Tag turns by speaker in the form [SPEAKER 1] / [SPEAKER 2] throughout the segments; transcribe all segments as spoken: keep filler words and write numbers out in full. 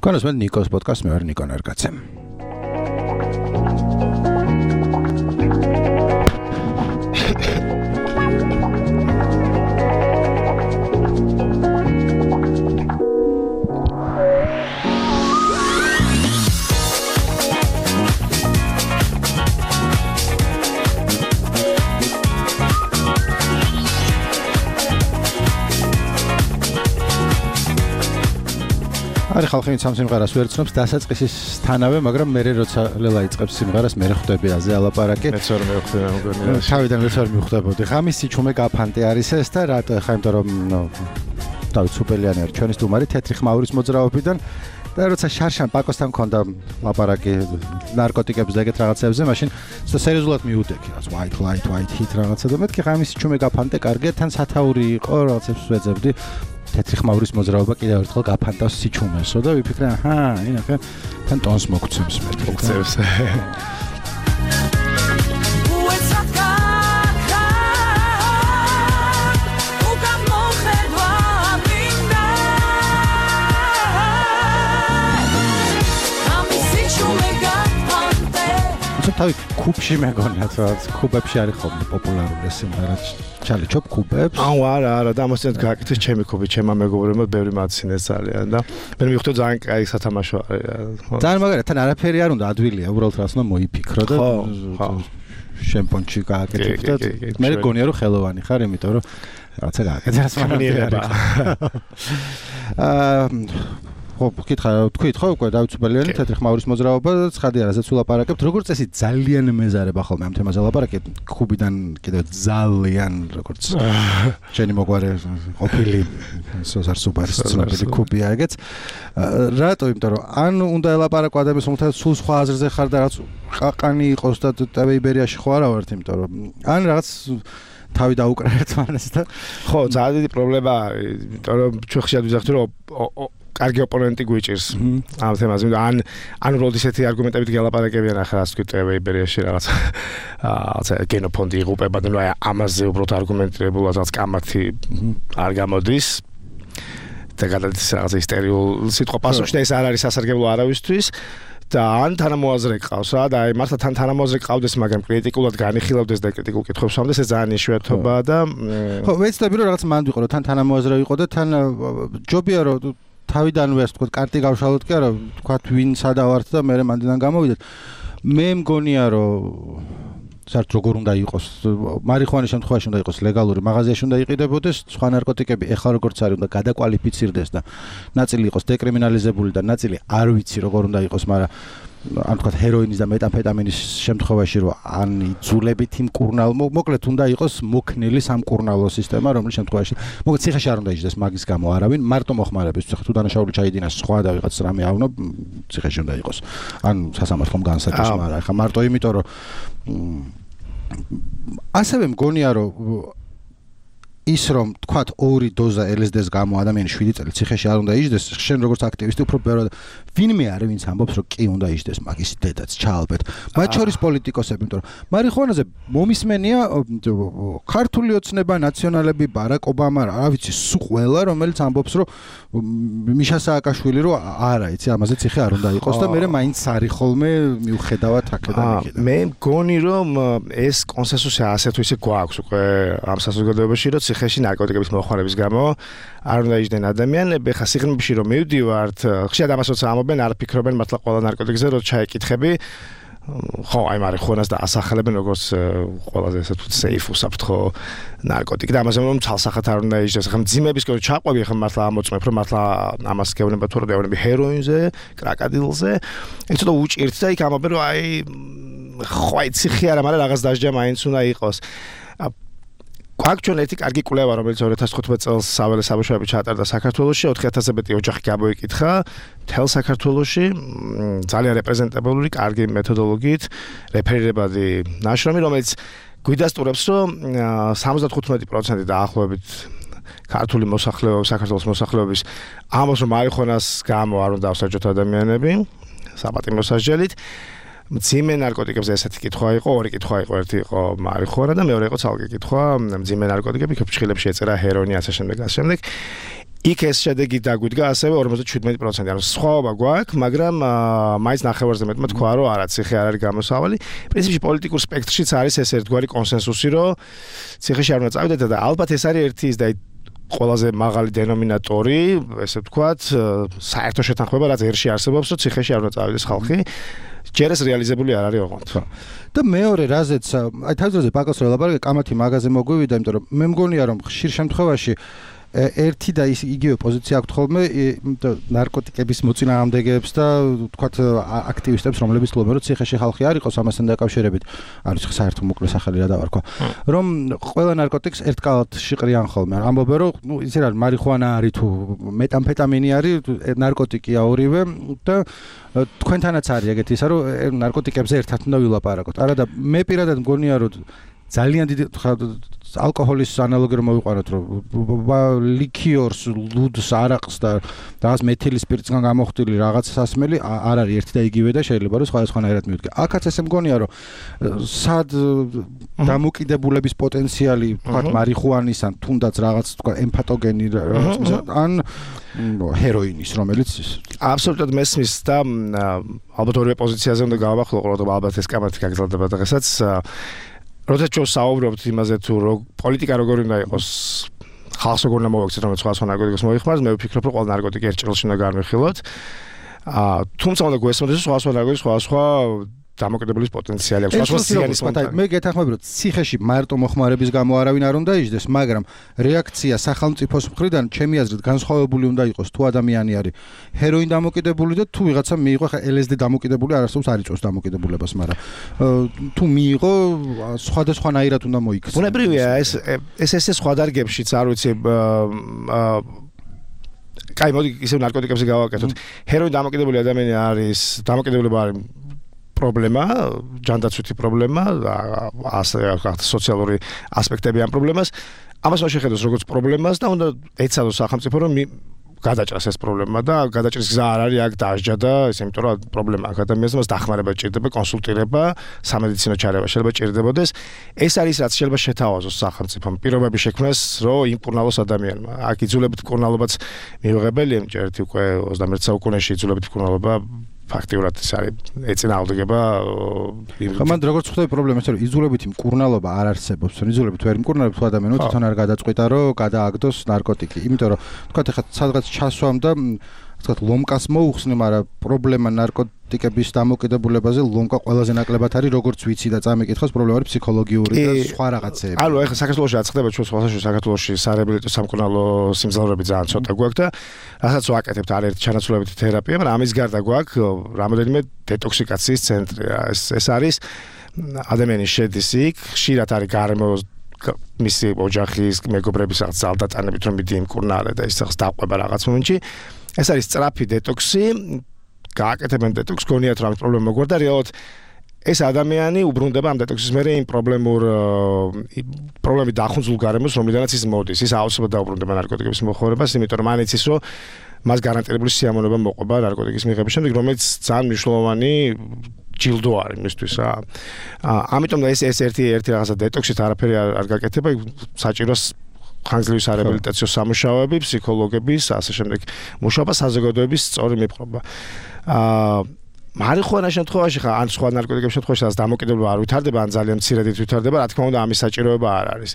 [SPEAKER 1] Თქვენს მე ნიკოს პოდკასტ მე ვარ ნიკო ნარკაცე. არის ხალხი ამ სიმღერას ვერ ცნობს დასაწყისის თანავე, მაგრამ მე როცა ლელა იწყებს სიმღერას, მე ხვდები აზე ალაპარაკი.
[SPEAKER 2] მეც ვერ მივხვდი მეგონია.
[SPEAKER 1] თავიდან მეც ვერ მივხვდებოდი. ხამის სიჩუმე გაფანტე არის ეს და რატო ხა იმიტომ რომ დავით სუპელიანი არის ჩვენი სტუმარი თეთრი ხმაურის მოძრაობიდან და როცა შარშან პაკოსთან მქონდა ლაპარაკი ნარკოტიკებზე და ეგეთ რაღაცებზე, მაშინ ცოტა სერიოზულად მიუდექი, რაც white light white heat რაღაცა და მეთქი ხამის სიჩუმე გაფანტე კარგია, თან სათაური იყო, რაღაცებს ვეძებდი. თეთრი ხმაურის მოძრაობა კიდევ ერთხელ გაფანტავს სიჩუმესო და ვიფიქრე, აჰა, ინახე, თან ტონს მოგცემს მე.
[SPEAKER 2] მოგცემს.
[SPEAKER 1] თავი კუბში მეგონია, რაც კუბებში არის ხოლმე პოპულარული სიმღერა. ჩალიჩობ კუბებს?
[SPEAKER 2] აუ არა, არა, და ამასთან გააკეთეს ჩემი კუბი, ჩემმა მეგობრებმა ბევრი მაცინეს ძალიან და მე მივხვდი ძალიან კაი სათამაშო არის.
[SPEAKER 1] ძალიან მაგარია, თან არაფერი არ უნდა ადვილია, უბრალოდ რას უნდა მოიფიქრო და შემპონჩი გააკეთებ და მე მგონია რომ ხელოვანი ხარ, იმიტომ რომ რაღაცა გააკეთე რაც მანიერება. აა ხო, კითხა, თქვით ხო, უკვე დავით სუპელიანი თეთრი ხმაურის მოძრაობა, ცხადია, რასაც ვილაპარაკებთ, როგორც წესი ძალიან მეზარება ხოლმე ამ თემაზე ლაპარაკეთ, კუბიდან კიდევ ძალიან როგორც შენი მოგვარე ყოფილი სოზარ სუპარის ცნობილი კუბია ეგეც. რატო? იმიტომ რომ ან უნდა ელაპარაკო ადამიანს, რომელთაც სულ სხვა აზრზე ხარ და რაც ყაყანი იყოს და ტევ-იბერიაში ხო არა ვართ, იმიტომ რომ ან რაღაც თავი დაუკრა ერთმანეს და
[SPEAKER 2] ხო, ძალიან დიდი პრობლემა არის, იმიტომ რომ ჩვენ ხშირად ვიზახთ რომ კარგი ოპონენტი გვიჭირს ამ თემაზე. ან ან უბრალოდ ისეთი არგუმენტებით გელაპარაკებიან ახლა ასე ვთქვით ტევ-იბერიაში რაღაც რაღაცა გენოფონდი იღუპება და ნუ აი ამაზე უბრალოდ არგუმენტირებულად რაღაც კამათი არ გამოდის და გადადის რაღაცა ისტორიულ სიტყვა პასუხში და ეს არ არის სასარგებლო არავისთვის. და ან თანამოაზრე ყავს რა და აი მართლა თან თანამოაზრე ყავდეს, მაგრამ კრიტიკულად განიხილავდეს და კრიტიკულ კითხვებს ამდეს, ეს ძალიან იშვიათობაა და
[SPEAKER 1] ხო, ვეცდები რომ რაღაც მანდ ვიყო რომ თან თანამოაზრე ვიყო და თან ჯობია რომ თავიდანვე ასე ვთქვათ კარტი გავშალოთ კი არა, ვთქვათ ვინ სადავართ და მე მანდიდან გამოვიდეთ. მე მგონია რომ საერთოდ როგორ უნდა იყოს, მარიხუანის შემთხვევაში უნდა იყოს ლეგალური, მაღაზიაში უნდა იყიდებოდეს, სხვა ნარკოტიკები ეხლა როგორც არის უნდა გადაკვალიფიცირდეს და ნაწილი იყოს დეკრიმინალიზებული და ნაწილი არ ვიცი როგორ უნდა იყოს, მაგრამ ან თქვათ ჰეროინის და მეტამფეტამინის შემთხვევაში რომ ან იძულებით იმ კურნალ მოკლედ უნდა იყოს მოქნილი სამკურნალო სისტემა, რომლის შემთხვევაში მოკლედ ციხეში არ უნდა იჯდეს მაგის გამო არავინ, მარტო მოხმარების თუ დანაშაული ჩაიდინას სხვა და ვიღაც რამე ავნო, ციხეში უნდა იყოს. ან სასამართლომ განსაჯოს, მაგრამ ეხლა მარტო იმიტომ რომ ასევე მგონია რომ ის რომ თქვათ ორი დოზა ელ ეს დი-ს გამო ადამიანი შვიდი წელი ციხეში არ უნდა იჯდეს, შენ როგორც აქტივისტი უფრო ბევრად ვინმე არის ვინც ამბობს რომ კი უნდა იჯდეს მაგის დედაც ჩაალბეთ. მათ შორის პოლიტიკოსები, იმიტომ რომ მარიხუანაზე მომისმენია ქართული ოცნება, ნაციონალები, ბარაკ ობამა, რა ვიცი, სულ ყველა რომელიც ამბობს რომ მიშა სააკაშვილი რომ არა, იცი, ამაზე ციხე არ უნდა იყოს და მე მაინც არის ხოლმე მიუხედავად აქედან იქიდან.
[SPEAKER 2] მე მგონი რომ ეს კონსენსუსი ასე თუ ისე გვაქვს უკვე ამ საზოგადოებაში, რომ ციხეში ნარკოტიკების მოხმარების გამო არ უნდა იჯდნენ ადამიანები. ხა სიღრმეში რომ მივდივართ, ხშირად ამას როცა ამობენ, არ ფიქრობენ მართლა ყველა ნარკოტიკზე, რომ ჩაიკითხები. ხო, აი მარიხუანას და ასახელებენ როგორც ყველაზე ესე თუ safe უსაფრთხო ნარკოტიკი და ამაზე რომ ცალსახად არ უნდა იჯდეს. ხა მძიმების კო ჩაყვები, ხა მართლა ამოწმებ, რომ მართლა ამას გეუბნება თუ რომ გეუბნები ჰეროინზე, კრაკადილზე. ეს ცოტა უჭირთ და იქ ამობენ რომ აი ხო აი ციხე არა, მაგრამ რაღაც დასჯა მაინც უნდა იყოს. გვაქვს ჩვენ ერთი კარგი კვლევა, რომელიც ორი ათას თხუთმეტ წელს საველე საბავშვოები ჩაატარდა საქართველოში, ოთხი ათასზე მეტი ოჯახი გამოიკითხა მთელ საქართველოში, ძალიან რეპრეზენტაბული, კარგი მეთოდოლოგიით, რეფერირებადი ნაშრომი, რომელიც გვიდასტურებს, რომ სამოცდათხუთმეტი პროცენტი დაახლოებით ქართული მოსახლეობის, საქართველოს მოსახლეობის ამბობს, რომ მარიხუანას გამო არ უნდა ავსაჯოთ ადამიანები საპატიმრო სასჯელით. მძიმე ნარკოტიკებზე ესეთი კითხვა იყო, ორი კითხვა იყო, ერთი იყო მარიხუანა და მეორე იყო ცალკე კითხვა, მძიმე ნარკოტიკები, ფრჩხილებში ეწერა ჰეროინი, ასე შემდეგ, ასე შემდეგ. იქ ეს შედეგი დაგვიდგა ასევე ორმოცდაშვიდმეტი პროცენტი. ანუ სხვაობა გვაქვს, მაგრამ მაინც ნახევარზე მეტმა თქვა, რომ არა, ციხე არ არის გამოსავალი. პრინციპში პოლიტიკურ სპექტრშიც არის ეს ერთგვარი კონსენსუსი, რომ ციხეში არ უნდა წავიდეთ და ალბათ ეს არის ერთი ის და ყველაზე მაღალი დენომინატორი, ესე ვთქვათ, საერთო შეთანხმება, რაც ერში არსებობს, რომ ციხეში არ უნდა წავიდეს ხალხი. ჯერ ეს რეალიზებული არ არის ოღონდ.
[SPEAKER 1] და მეორე რაზეც, აი თავზე ბაკოს რელაპარაკე, კამათი მაგაზე მოგვივიდა, იმიტომ რომ მე მგონია რომ ხშირ შემთხვევაში ერთი და ის იგივე პოზიცია აქვს ხოლმე ნარკოტიკების მოწინააღმდეგეებს და თქვათ აქტივისტებს, რომლებიც ცდილობენ რომ ციხეში ხალხი არ იყოს ამასთან დაკავშირებით. არის საერთო მოკლე სახელი რა დავარქვა. რომ ყველა ნარკოტიკს ერთკალად შიყრიან ხოლმე. ამბობენ რომ ნუ ისე რა მარიხუანა არის თუ მეტამფეტამინი არის ნარკოტიკია ორივე და თქვენთანაც არის ეგეთი ისა რომ ნარკოტიკებზე ერთად უნდა ვილაპარაკოთ. არა და მე პირადად მგონია რომ ძალიან დიდი ალკოჰოლის ანალოგი რომ მოვიყვანოთ რომ ლიქიორს, ლუდს, არაყს და რაღაც მეთილი სპირტისგან გამოხდილი რაღაც სასმელი არ არის ერთი და იგივე და შეიძლება რომ სხვადასხვანაირად მივდგე. აქაც ესე მგონია რომ სად დამოკიდებულების პოტენციალი თქვათ მარიხუანის ან თუნდაც რაღაც თქვა ემფატოგენი რაღაც ან ჰეროინის რომელიც
[SPEAKER 2] აბსოლუტურად მესმის და ალბათ ორივე პოზიციაზე უნდა გავახსოვო ყურადღება ალბათ ეს კამათი გაგრძელდება დღესაც როდესაც ჩვენ საუბრობთ იმაზე თუ პოლიტიკა როგორი უნდა იყოს ხალხს როგორ უნდა მოვაქცეთ რომ სხვა სხვა ნარკოტიკებს მოიხმაროს მე ვფიქრობ რომ ყველა ნარკოტიკი ერთ ჭრილში უნდა განვიხილოთ აა თუმცა უნდა გვესმოდეს სხვა სხვა ნარკოტიკი სხვა სხვა დამოკიდებულის პოტენციალი აქვს. სხვა სიანის
[SPEAKER 1] პოტენციალი. მე გეთანხმები რომ ციხეში მარტო მოხმარების გამო არავინ არ უნდა იჯდეს, მაგრამ რეაქცია სახელმწიფოს მხრიდან ჩემი აზრით განსხვავებული უნდა იყოს თუ ადამიანი არის ჰეროინ დამოკიდებული და თუ ვიღაცა მიიღო ხა ელ ეს დი დამოკიდებული არ არსებობს არ იწვევს დამოკიდებულებას, მაგრამ თუ მიიღო სხვადასხვანაირად უნდა მოიქცეს.
[SPEAKER 2] ბუნებრივია ეს ეს ესე სხვა დარგებშიც არ ვიცი კაი მოდი ისე ნარკოტიკებზე გავაკეთოთ. ჰეროინ დამოკიდებული ადამიანი არის დამოკიდებულება არის პრობლემა, ჯანდაცვითი პრობლემა, ასე სოციალური ასპექტები ამ პრობლემას. ამას უნდა შეხედოს როგორც პრობლემას და უნდა ეცადოს სახელმწიფო რომ გადაჭრას ეს პრობლემა და გადაჭრის გზა არ არის აქ დაჟჯა და ესე იმიტომ რომ პრობლემა აქ ადამიანს მას დახმარება ჭირდება, კონსულტირება, სამედიცინო ჩარევა შეიძლება ჭირდებოდეს. ეს არის რაც შეიძლება შეთავაზოს სახელმწიფომ პირობები შექმნას, რომ იმკურნალოს ადამიანმა. აქ იძულებით მკურნალობაც მიიღებელია, ერთი უკვე ოცდამეერთე საუკუნეში იძულებით მკურნალობა ფაქტიურად ეს არის ეწინააღმდეგება
[SPEAKER 1] მან როგორც ხვდები პრობლემა ის რომ იძულებითი მკურნალობა არ არსებობს. იძულებით ვერ მკურნალებს თუ ადამიანო თვითონ არ გადაწყვიტა რომ გადააგდოს ნარკოტიკი. იმიტომ რომ თქვათ ეხლა სადღაც ჩასვამ და თქვათ ლომკას მოუხსნე, მაგრამ პრობლემა ნარკოტიკების დამოკიდებულებაზე ლომკა ყველაზე ნაკლებად არის როგორც ვიცი და წამიკითხოს პრობლემა არის ფსიქოლოგიური და სხვა რაღაცეები.
[SPEAKER 2] ანუ ეხლა საქართველოში რაც ხდება ჩვენ სხვადასხვა საქართველოში სარეაბილიტო სამკურნალო სიმძლავრეები ძალიან ცოტა გვაქვს და რასაც ვაკეთებთ არის ერთი ჩანაცვლებითი თერაპია, მაგრამ ამის გარდა გვაქვს რამოდენიმე დეტოქსიკაციის ცენტრი. ეს ეს არის ადამიანის შედის იქ, ხშირად არის გარემო მისი ოჯახის მეგობრების რაღაც ძალდატანებით რომ მიდი იმკურნალე და ის რაღაც დაყვება რაღაც მომენტში. ეს არის სწრაფი დეტოქსი, გააკეთებენ დეტოქს, გონიათ რომ ამის პრობლემა მოგვარდა, რეალურად ეს ადამიანი უბრუნდება ამ დეტოქსის მერე იმ პრობლემურ პრობლემით დახუნძულ გარემოს, რომლიდანაც ის მოდის. ის აუცილებლად დაუბრუნდება ნარკოტიკების მოხმარებას, იმიტომ რომ მან იცის, რომ მას გარანტირებული სიამოვნება მოყვება ნარკოტიკის მიღების შემდეგ, რომელიც ძალიან მნიშვნელოვანი ჯილდო არის მისთვის რა. ამიტომ ეს ეს ერთი ერთი რაღაცა დეტოქსით არაფერი არ გაკეთება, საჭიროს ხანგრძლივი სარეაბილიტაციო სამუშაოები, ფსიქოლოგების, ასე შემდეგ მუშაობა, საზოგადოების სწორი მიპყრობა. აა მარიხუანას შემთხვევაში ხა ან სხვა ნარკოტიკების შემთხვევაში რაც დამოკიდებულება არ ვითარდება, ან ძალიან მცირედით ვითარდება, რა თქმა უნდა, ამის საჭიროება არ არის.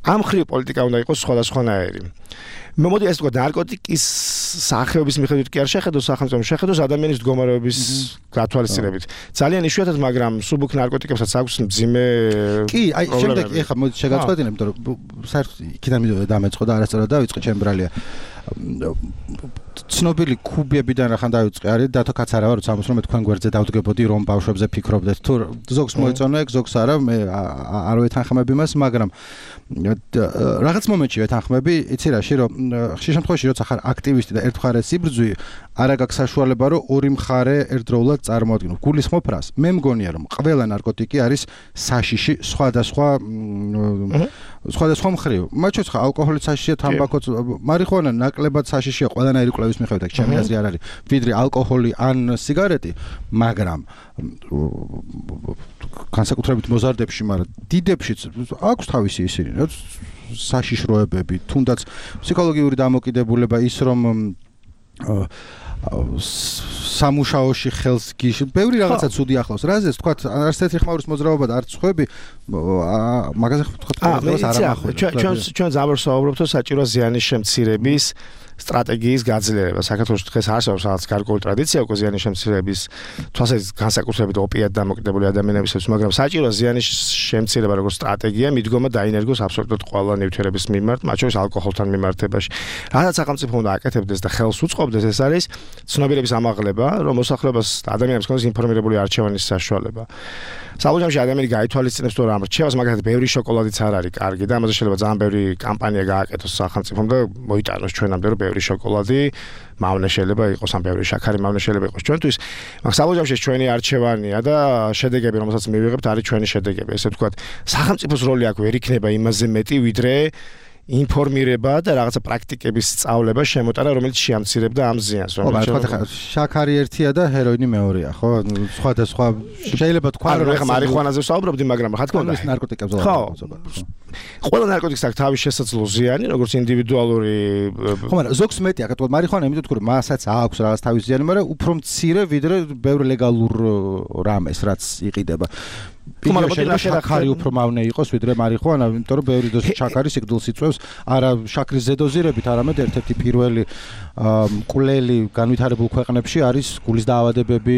[SPEAKER 2] ამ ხრივ პოლიტიკა უნდა იყოს სხვადასხვანაირი. მე მოდი ეს თქვა ნარკოტიკის სახეობის მიხედვით კი არ შეხედოს სახელმწიფო, შეხედოს ადამიანის მდგომარეობის გათვალისწინებით. ძალიან იშვიათად, მაგრამ სუბუქ ნარკოტიკებსაც აქვს მძიმე
[SPEAKER 1] კი, აი შემდეგ ეხლა მოდი შეგაწყვეტინებ, იმიტომ რომ საერთოდ იქიდან მიდოდა დამეწყო და არასწორად დავიწყე ჩემ ბრალია. ცნობილი კუბებიდან რახან დავიწყე არის დათო კაცარავა როცა ამას რომ მე თქვენ გვერდზე დავდგებოდი რომ ბავშვებზე ფიქრობდეთ თუ ზოგს მოეწონა ეგ ზოგს არა მე არ ვეთანხმები მას მაგრამ რაღაც მომენტში ვეთანხმები იცი რაში რომ ხშირ შემთხვევაში როცა ხარ აქტივისტი და ერთ მხარეს იბრძვი არა გაქვს საშუალება რომ ორი მხარე ერთდროულად წარმოადგინო გულისხმობ რას მე მგონია რომ ყველა ნარკოტიკი არის საშიში სხვადასხვა სხვადასხვა მხრივ მათ შორის ხა ალკოჰოლიც საშიშია თამბაქოც მარიხუანა ნაკლებად საშიშია ყველანაირი კვლევის მიხედვით ჩემი აზრი არ არის ვიდრე ალკოჰოლი ან სიგარეტი მაგრამ განსაკუთრებით მოზარდებში მაგრამ დიდებშიც აქვს თავისი ისინი საშიშროებები, თუნდაც ფსიქოლოგიური დამოკიდებულება ის რომ სამუშაოში ხელს გიშ ბევრი რაღაცა ცუდი ახლავს. რაზეც თქვა არც ერთი ხმაურის მოძრაობა და არც ხვები მაგაზე თქვა არ ამახვილებს.
[SPEAKER 2] ჩვენ ჩვენ ზამბერს ვაუბრობთ საჭირო ზიანის შემცირების სტრატეგიის გაძლიერება. საქართველოს დღეს არსებობს რაღაც გარკვეული ტრადიცია უკვე ზიანის შემცირების თვალსაზრისით განსაკუთრებით ოპიატ დამოკიდებული ადამიანებისთვის, მაგრამ საჭირო ზიანის შემცირება როგორც სტრატეგია მიდგომა დაინერგოს აბსოლუტურად ყველა ნივთიერების მიმართ, მათ შორის ალკოჰოლთან მიმართებაში. რადგან სახელმწიფო უნდა აკეთებდეს და ხელს უწყობდეს, ეს არის ცნობიერების ამაღლება, რომ მოსახლეობას ადამიანებს ქონდეს ინფორმირებული არჩევანის საშუალება. საბოლოოში ადამიანი გაითვალისწინებს თუ რა რჩევას, მაგალითად, ბევრი შოკოლადიც არ არის კარგი და ამაზე შეიძლება ძალიან ბევრი კამპანია გააკეთოს სახელმწიფომ და მოიტანოს ჩვენამდე რომ ბევრი შოკოლადი მავნე შეიძლება იყოს, ან ბევრი შაქარი მავნე შეიძლება იყოს ჩვენთვის. მაგრამ საბოლოოში ჩვენი არჩევანია და შედეგები, რომელსაც მივიღებთ, არის ჩვენი შედეგები. ესე ვთქვათ, სახელმწიფოს როლი აქ ვერ იქნება იმაზე მეტი, ვიდრე ინფორმირება და რაღაცა პრაქტიკების სწავლება შემოტანა, რომელიც შეამცირებდა ამ ზიანს.
[SPEAKER 1] ხო, მაგრამ შაქარი ერთია და ჰეროინი მეორეა, ხო? სხვადასხვა შეიძლება თქვა,
[SPEAKER 2] რომ ეხლა მარიხუანაზე ვსაუბრობდი, მაგრამ რა თქმა უნდა,
[SPEAKER 1] ის ნარკოტიკებზე
[SPEAKER 2] ვსაუბრობ. ყველა ნარკოტიკს აქვს თავის შესაძლო ზიანი, როგორც ინდივიდუალური.
[SPEAKER 1] ხო, მაგრამ ზოგს მეტი აქ თქვა მარიხუანა, იმიტომ თქვი, რომ მასაც აქვს რაღაც თავის ზიანი, მაგრამ უფრო მცირე ვიდრე ბევრ ლეგალურ რამეს, რაც იყიდება. შეიძლება შაქარი უფრო მავნე იყოს ვიდრე მარიხუანა, იმიტომ რომ ბევრი დოზი შაქარი სიკვდილს იწვევს, არა შაქრის ზედოზირებით, არამედ ერთ-ერთი პირველი მკვლელი განვითარებულ ქვეყნებში არის გულის დაავადებები,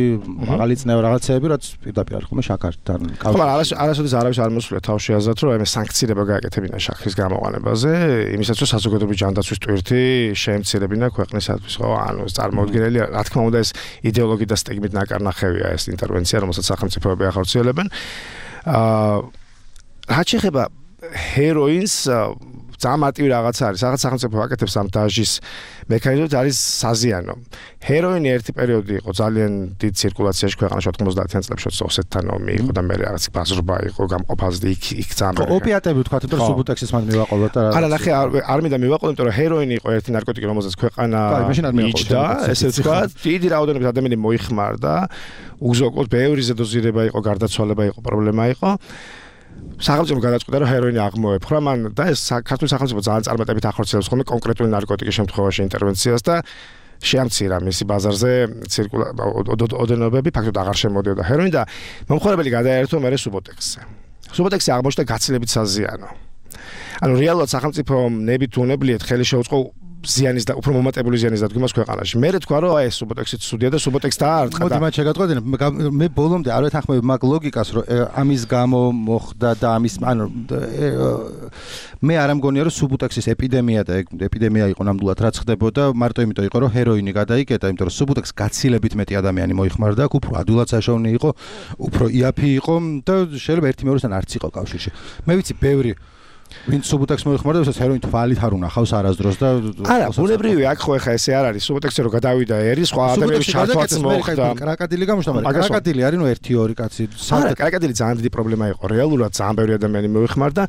[SPEAKER 1] მაღალი წნევა რაღაცეები, რაც პირდაპირ არის ხოლმე შაქართან.
[SPEAKER 2] ხო, მაგრამ არასოდეს არავის არ მოსულა თავში აზრად, რომ აი სანქციება გააკეთებინა შაქრის გამოყენებაზე, იმისაც რომ საზოგადოებრივი ჯანდაცვის ტვირთი შეემცირებინა ქვეყნისათვის, ხო? ანუ წარმოუდგენელი, რა თქმა უნდა, ეს იდეოლოგიით და სტიგმით ნაკარნახევია ეს ინტერვენცია, რომელსაც სახელმწიფოები ახორციელებენ. აა რაც შეეხება ჰეროინს, ძალიან მარტივი რაღაც არის. რაღაც სახელმწიფო აკეთებს ამ დაჟის მექანიზმით, არის საზიანო. ჰეროინი ერთი პერიოდი იყო ძალიან დიდ ცირკულაციაში ქვეყანაში ოცდაათიან წლებში ოსეთთან ომი იყო და მე რაღაც ბაზრობა იყო გამყოფაზე იქ იქ ძალიან.
[SPEAKER 1] ოპიატები თქვა, რომ სუბუტექსის მან მივაყოლა და
[SPEAKER 2] არა, ნახე, არ მინდა მივაყოლო, იმიტომ რომ ჰეროინი იყო ერთი ნარკოტიკი, რომელზეც ქვეყანა იჯდა, ესე ვთქვა, დიდი რაოდენობით ადამიანი მოიხმარდა, უზოგოდ ბევრი ზედოზირება იყო, გარდაცვალება იყო, პრობლემა იყო. სახელმწიფო გადაწყვიტა რომ ჰეროინი აღმოეფხვრა მან და ეს საქართველოს სახელმწიფო ძალიან წარმატებით ახორციელებს ხოლმე კონკრეტული ნარკოტიკის შემთხვევაში ინტერვენციას და შეამცირა მისი ბაზარზე ოდენობები, ფაქტობრივად აღარ შემოდიოდა ჰეროინი და მომხმარებელი გადაერთო მერე სუბოტექსზე. სუბოტექსი აღმოჩნდა გაცილებით საზიანო. ანუ რეალურად სახელმწიფო ნებით უნებლიეთ ხელი შეუწყო ზიანის და უფრო მომატებული ზიანის დადგმას ქვეყანაში. მე თქვა რომ აი ეს სუბოტექსი ცუდია და სუბოტექსს დაარტყა და
[SPEAKER 1] მოდი მათ შეგატყოდნენ, მე ბოლომდე არ ვეთანხმები მაგ ლოგიკას, რომ ამის გამო მოხდა და ამის ანუ მე არ ამგონია რომ სუბოტექსის ეპიდემია და ეპიდემია იყო ნამდვილად რაც ხდებოდა, მარტო იმიტომ იყო რომ ჰეროინი გადაიკეტა, იმიტომ რომ სუბოტექსს გაცილებით მეტი ადამიანი მოიხმარდა, აქ უფრო ადვილად საშოვნი იყო, უფრო იაფი იყო და შეიძლება ერთი მეორესთან არც იყო კავშირში. მე ვიცი ბევრი ვინც სუბოტექსს მოიხმარდა, ვისაც ჰეროინი თვალით არ უნახავს არასდროს და
[SPEAKER 2] არა, ბუნებრივია, აქ ხო ახლა ესე არ არის, სუბოტექსი რო გადავიდა ერი, სხვა ადამიანების ჩართვაც მოხდა.
[SPEAKER 1] კრაკადილი გამოჩნდა, მაგრამ კრაკადილი არის ნუ ერთი ორი კაცი.
[SPEAKER 2] არა, კრაკადილი ძალიან დიდი პრობლემა იყო, რეალურად ძალიან ბევრი ადამიანი მოიხმარდა.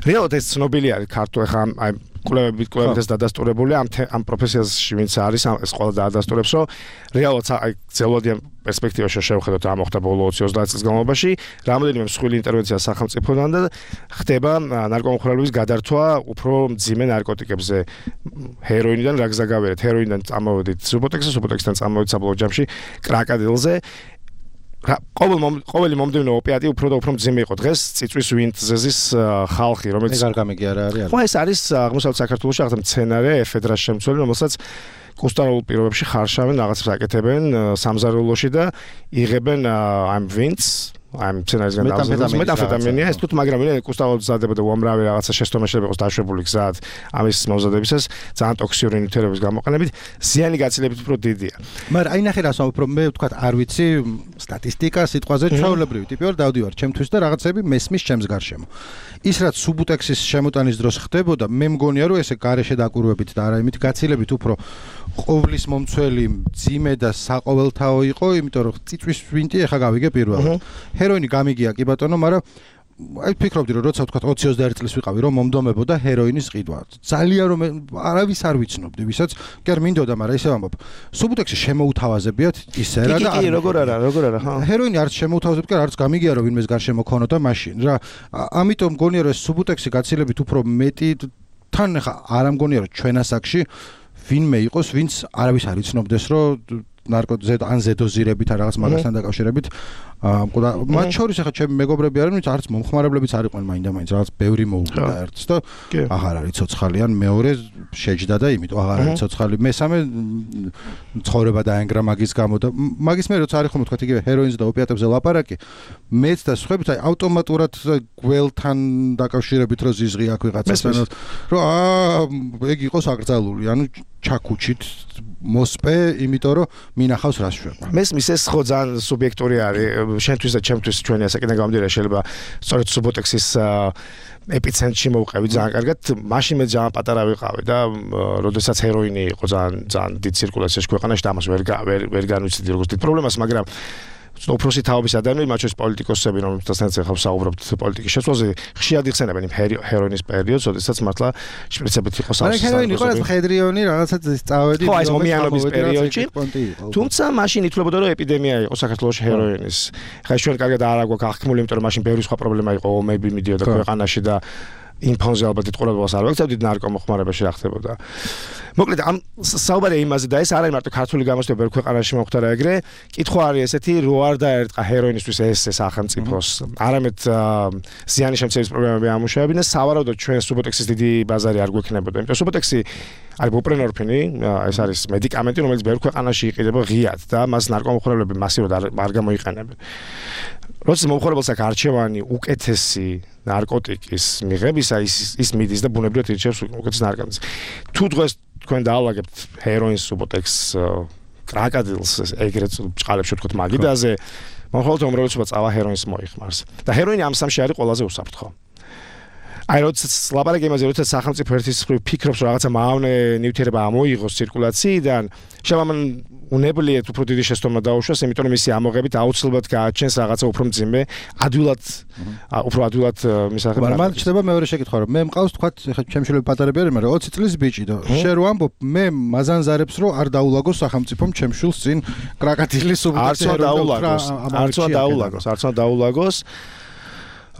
[SPEAKER 2] რეალურად ეს ცნობილი არის ქართულ ახლა აი კვლევებით კვლევებითაც დადასტურებული ამ ამ პროფესიაში ვინც არის ეს ყველა დაადასტურებს რომ რეალურად აი ძელოდიან პერსპექტივაში შევხედოთ რა მოხდა ბოლო ოცი ოცდაათ წლის განმავლობაში რამოდენიმე მსხვილი ინტერვენცია სახელმწიფოდან და ხდება ნარკომხმარებლობის გადართვა უფრო მძიმე ნარკოტიკებზე ჰეროინიდან რა გზა გავერეთ ჰეროინიდან წამოვედით სუბოტექსზე სუბოტექსიდან წამოვედით საბოლოო ჯამში კრაკადილზე ყოველ ყოველი მომდევნო ოპიატი უფრო და უფრო მძიმე იყო დღეს წიწვის ვინტზეზის ხალხი რომელიც
[SPEAKER 1] ეგ არ გამიგი არა არის
[SPEAKER 2] ხო ეს არის აღმოსავლეთ საქართველოში ახლა მცენარე ეფედრას შემცველი რომელსაც კუსტარულ პირობებში ხარშავენ რაღაცებს აკეთებენ სამზარეულოში და იღებენ ამ ვინტს I'm მცენარისგან დავზრდოს მეტამფეტამინია ეს თუთ მაგრამ მე კუსტავალს ზადებოდა უამრავი რაღაცა შეცდომაშები იყოს დაშვებული გზად ამის მომზადებისას ძალიან ტოქსიური ნივთიერების გამოყენებით ზიანი გაცილებით უფრო დიდია
[SPEAKER 1] მაგრამ აი ნახე რას უფრო მე ვთქვათ არ ვიცი სტატისტიკა სიტყვაზე ჩვეულებრივი ტიპი ვარ დავდივარ ჩემთვის და რაღაცები მესმის ჩემს გარშემო ის რაც სუბუტექსის შემოტანის დროს ხდებოდა მე მგონია რომ ესე გარეშე დაკვირვებით და არა იმით გაცილებით უფრო ყოვლის მომცველი ძიმე და საყოველთაო იყო იმიტომ რომ წიწვის ვინტი ეხა გავიგე პირველად ჰეროინი გამიგია კი ბატონო, მაგრამ აი ფიქრობდი რომ როცა ვთქვათ ოცი ოცდაერთი წლის ვიყავი რომ მომდომებოდა ჰეროინის ყიდვა. ძალიან რომ არავის არ ვიცნობდი, ვისაც კი არ მინდოდა, მაგრამ ისე ვამბობ. სუბუტექსი შემოუთავაზებიათ ისე რა და
[SPEAKER 2] კი, როგორ არა, როგორ არა, ხო.
[SPEAKER 1] ჰეროინი არც შემოუთავაზებიათ, არც გამიგია რომ ვინმეს გარშემო მქონოდა მაშინ რა. ამიტომ მგონია რომ ეს სუბუტექსი გაცილებით უფრო მეტი თან ხა არ ამგონია რომ ჩვენ ასაკში ვინმე იყოს, ვინც არავის არ იცნობდეს რომ ნარკოტიკები ან ზედოზირებით ან რაღაც მაგასთან დაკავშირებით აა მათ შორის ახლა ჩემი მეგობრები არიან, ვინც არც მომხმარებლებიც არ იყვნენ მაინდა-მაინც რაღაც ბევრი მოუგდა ერთს და აღარ არის ცოცხალი ან მეორე შეჯდა და იმიტომ აღარ არის ცოცხალი. მესამე ცხოვრება დაენგრა მაგის გამო და მაგის მე როცა არის ხომ თქვა იგივე ჰეროინზე და ოპიატებზე ლაპარაკი, მეც და სხვაებიც აი ავტომატურად გველთან დაკავშირებით რო ზიზღი აქ ვიღაცასთან რომ აა ეგ იყოს აკრძალული, ანუ ჩაკუჩით მოსპე, იმიტომ რომ მინახავს რას შვება.
[SPEAKER 2] მესმის ეს ხო ძალიან სუბიექტური არის შენთვის და ჩემთვის ჩვენი ასაკიდან გამომდინარე შეიძლება სწორედ სუბოტექსის ეპიცენტრში მოვყევი ძალიან კარგად. მაშინ მე ძალიან პატარა ვიყავი და როდესაც ჰეროინი იყო ძალიან ძალიან დიდ ცირკულაციაში ქვეყანაში და ამას ვერ ვერ ვერ განვიცდი როგორც დიდ პრობლემას, მაგრამ უფროსი თაობის ადამიანები, მათ შორის პოლიტიკოსები, რომელთანაც ახლა ვსაუბრობთ პოლიტიკის შეცვლაზე, ხშირად იხსენებენ იმ ჰეროინის პერიოდს, როდესაც მართლა შპრიცებით იყო
[SPEAKER 1] სავსე. მაგრამ ჰეროინი იყო ეს მხედრიონი, რაღაცა წავედი.
[SPEAKER 2] ხო, ეს ომიანობის პერიოდში. თუმცა მაშინ ითვლებოდა რომ ეპიდემია იყო საქართველოში ჰეროინის. ხა ჩვენ კარგად არ აგვაქვს აღქმული, იმიტომ რომ მაშინ ბევრი სხვა პრობლემა იყო, ომები მიდიოდა ქვეყანაში და ინფონზე ალბათ დიდ ყურადღებას არ ვაქცევდით ნარკომოხმარებაში რა ხდებოდა. მოკლედ ამ საუბარია იმაზე და ეს არ არის მარტო ქართული გამოცდილება, ბევრ ქვეყანაში მოხდა რა ეგრე. კითხვა არის ესეთი, რო არ დაერტყა ჰეროინისთვის ეს სახელმწიფოს. არამედ ზიანი შემცირების პრობლემები ამუშავებინა, სავარაუდოდ ჩვენ სუბოტექსის დიდი ბაზარი არ გვექნებოდა. იმიტომ სუბოტექსი არის ბუპრენორფინი, ეს არის მედიკამენტი, რომელიც ბევრ ქვეყანაში იყიდება ღიად და მას ნარკომოხმარებლები მასიურად არ გამოიყენებენ. როცა მომხმარებელს აქვს არჩევანი უკეთესი ნარკოტიკის მიღებისა, ის ის მიდის და ბუნებრივად ირჩევს უკეთეს ნარკოტიკს. თუ დღეს თქვენ დაალაგებთ ჰეროინს, სუბოტექს, კრაკადილს, ეგრეთ ბჭყალებში ვთქვათ მაგიდაზე, მომხმარებელთა უმრავლესობა წავა ჰეროინს მოიხმარს. და ჰეროინი ამ სამში არის ყველაზე უსაფრთხო. აი როდესაც ლაპარაკი იმაზე, როდესაც სახელმწიფო ერთის მხრივ ფიქრობს, რომ რაღაცა მავნე ნივთიერება ამოიღოს ცირკულაციიდან, შემამან უნებლიეთ უფრო დიდი შეცდომა დაუშვას, იმიტომ რომ მისი ამოღებით აუცილებლად გააჩენს რაღაცა უფრო მძიმე, ადვილად, უფრო ადვილად მისაღები.
[SPEAKER 1] მაგრამ მან ჩდება მეორე შეკითხვა, რომ მე მყავს თქვა, ეხლა ჩემი შვილები პატარები არიან, მაგრამ ოცი წლის ბიჭი და შენ რო ამბობ, მე მაზანზარებს რომ არ დაულაგოს სახელმწიფომ ჩემ შვილს წინ კრაკადილის სუბუტექსი
[SPEAKER 2] არ დაულაგოს, არც არ დაულაგოს, არც არ დაულაგოს.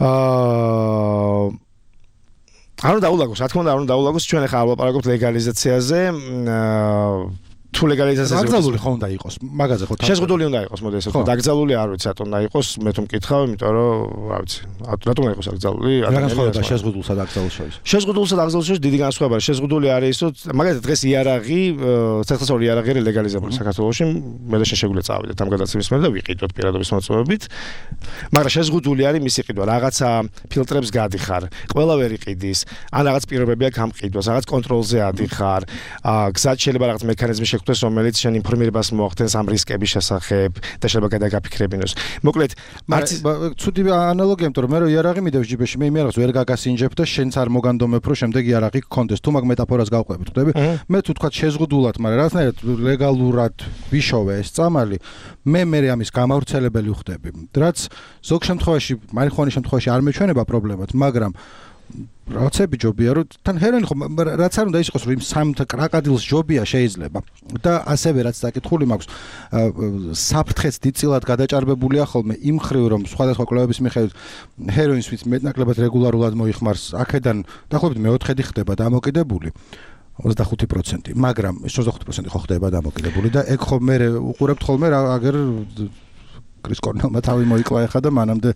[SPEAKER 2] აა არ უნდა დაულაგოს, რა თქმა უნდა, არ უნდა დაულაგოს, ჩვენ ახლა არ ვლაპარაკობთ ლეგალიზაციაზე. აა თუ ლეგალიზაციაზე
[SPEAKER 1] დაკრძალული ხო უნდა იყოს მაგაზე ხო
[SPEAKER 2] შეზღუდული უნდა იყოს მოდი ესე ვთქვა დაკრძალული არ ვიცი რატომ უნდა იყოს მე თუ მკითხავ იმიტომ რომ რა ვიცი რატომ უნდა იყოს დაკრძალული
[SPEAKER 1] განსხვავება შეზღუდულსა და დაკრძალულ შორის
[SPEAKER 2] შეზღუდულსა და დაკრძალულ შორის დიდი განსხვავება არის შეზღუდული არის ის რომ მაგალითად დღეს იარაღი საერთაშორისო იარაღი არის ლეგალიზებული საქართველოში მე და შეგვიძლია წავიდეთ ამ გადაცემის მერე და ვიყიდოთ პირადობის მოწმობებით მაგრამ შეზღუდული არის მისი ყიდვა რაღაცა ფილტრებს გადიხარ ყველა ვერ იყიდის ან რაღაც პირობებია გამყიდვას რაღაც კონტროლზე ადიხარ გზად შეიძლება რაღაც მექანიზმი შექმნას რომელიც შენ ინფორმირებას მოახდენს ამ რისკების შესახებ და შეიძლება გადაგაფიქრებინოს. მოკლედ,
[SPEAKER 1] მარც ცუდი ანალოგია, იმიტომ რომ მე რო იარაღი მიდევს ჯიბეში, მე იმ იარაღს ვერ გაგასინჯებ და შენც არ მოგანდომებ, რომ შემდეგ იარაღი გქონდეს. თუ მაგ მეტაფორას გავყვებით, ხვდები? მე თუ თქვა შეზღუდულად, მაგრამ რაღაცნაირად ლეგალურად ვიშოვე ეს წამალი, მე მე ამის გამავრცელებელი ვხდები. რაც ზოგ შემთხვევაში, მარიხუანის შემთხვევაში არ მეჩვენება პრობლემად, მაგრამ რაღაცები ჯობია რომ თან ჰეროინი ხო რაც არ უნდა იყოს რომ იმ სამთა კრაკადილს ჯობია შეიძლება და ასევე რაც დაკითხული მაქვს საფრთხეც დიდწილად გადაჭარბებულია ხოლმე იმ ხრივ რომ სხვადასხვა კვლევების მიხედვით ჰეროინს ვიც მეტნაკლებად რეგულარულად მოიხმარს აქედან დაახლოებით მეოთხედი ხდება დამოკიდებული ოცდახუთი პროცენტი მაგრამ ოცდახუთი პროცენტი ხო ხდება დამოკიდებული და ეგ ხო მე უყურებთ ხოლმე რა აგერ კრის კორნელმა თავი მოიკლა ახლა და მანამდე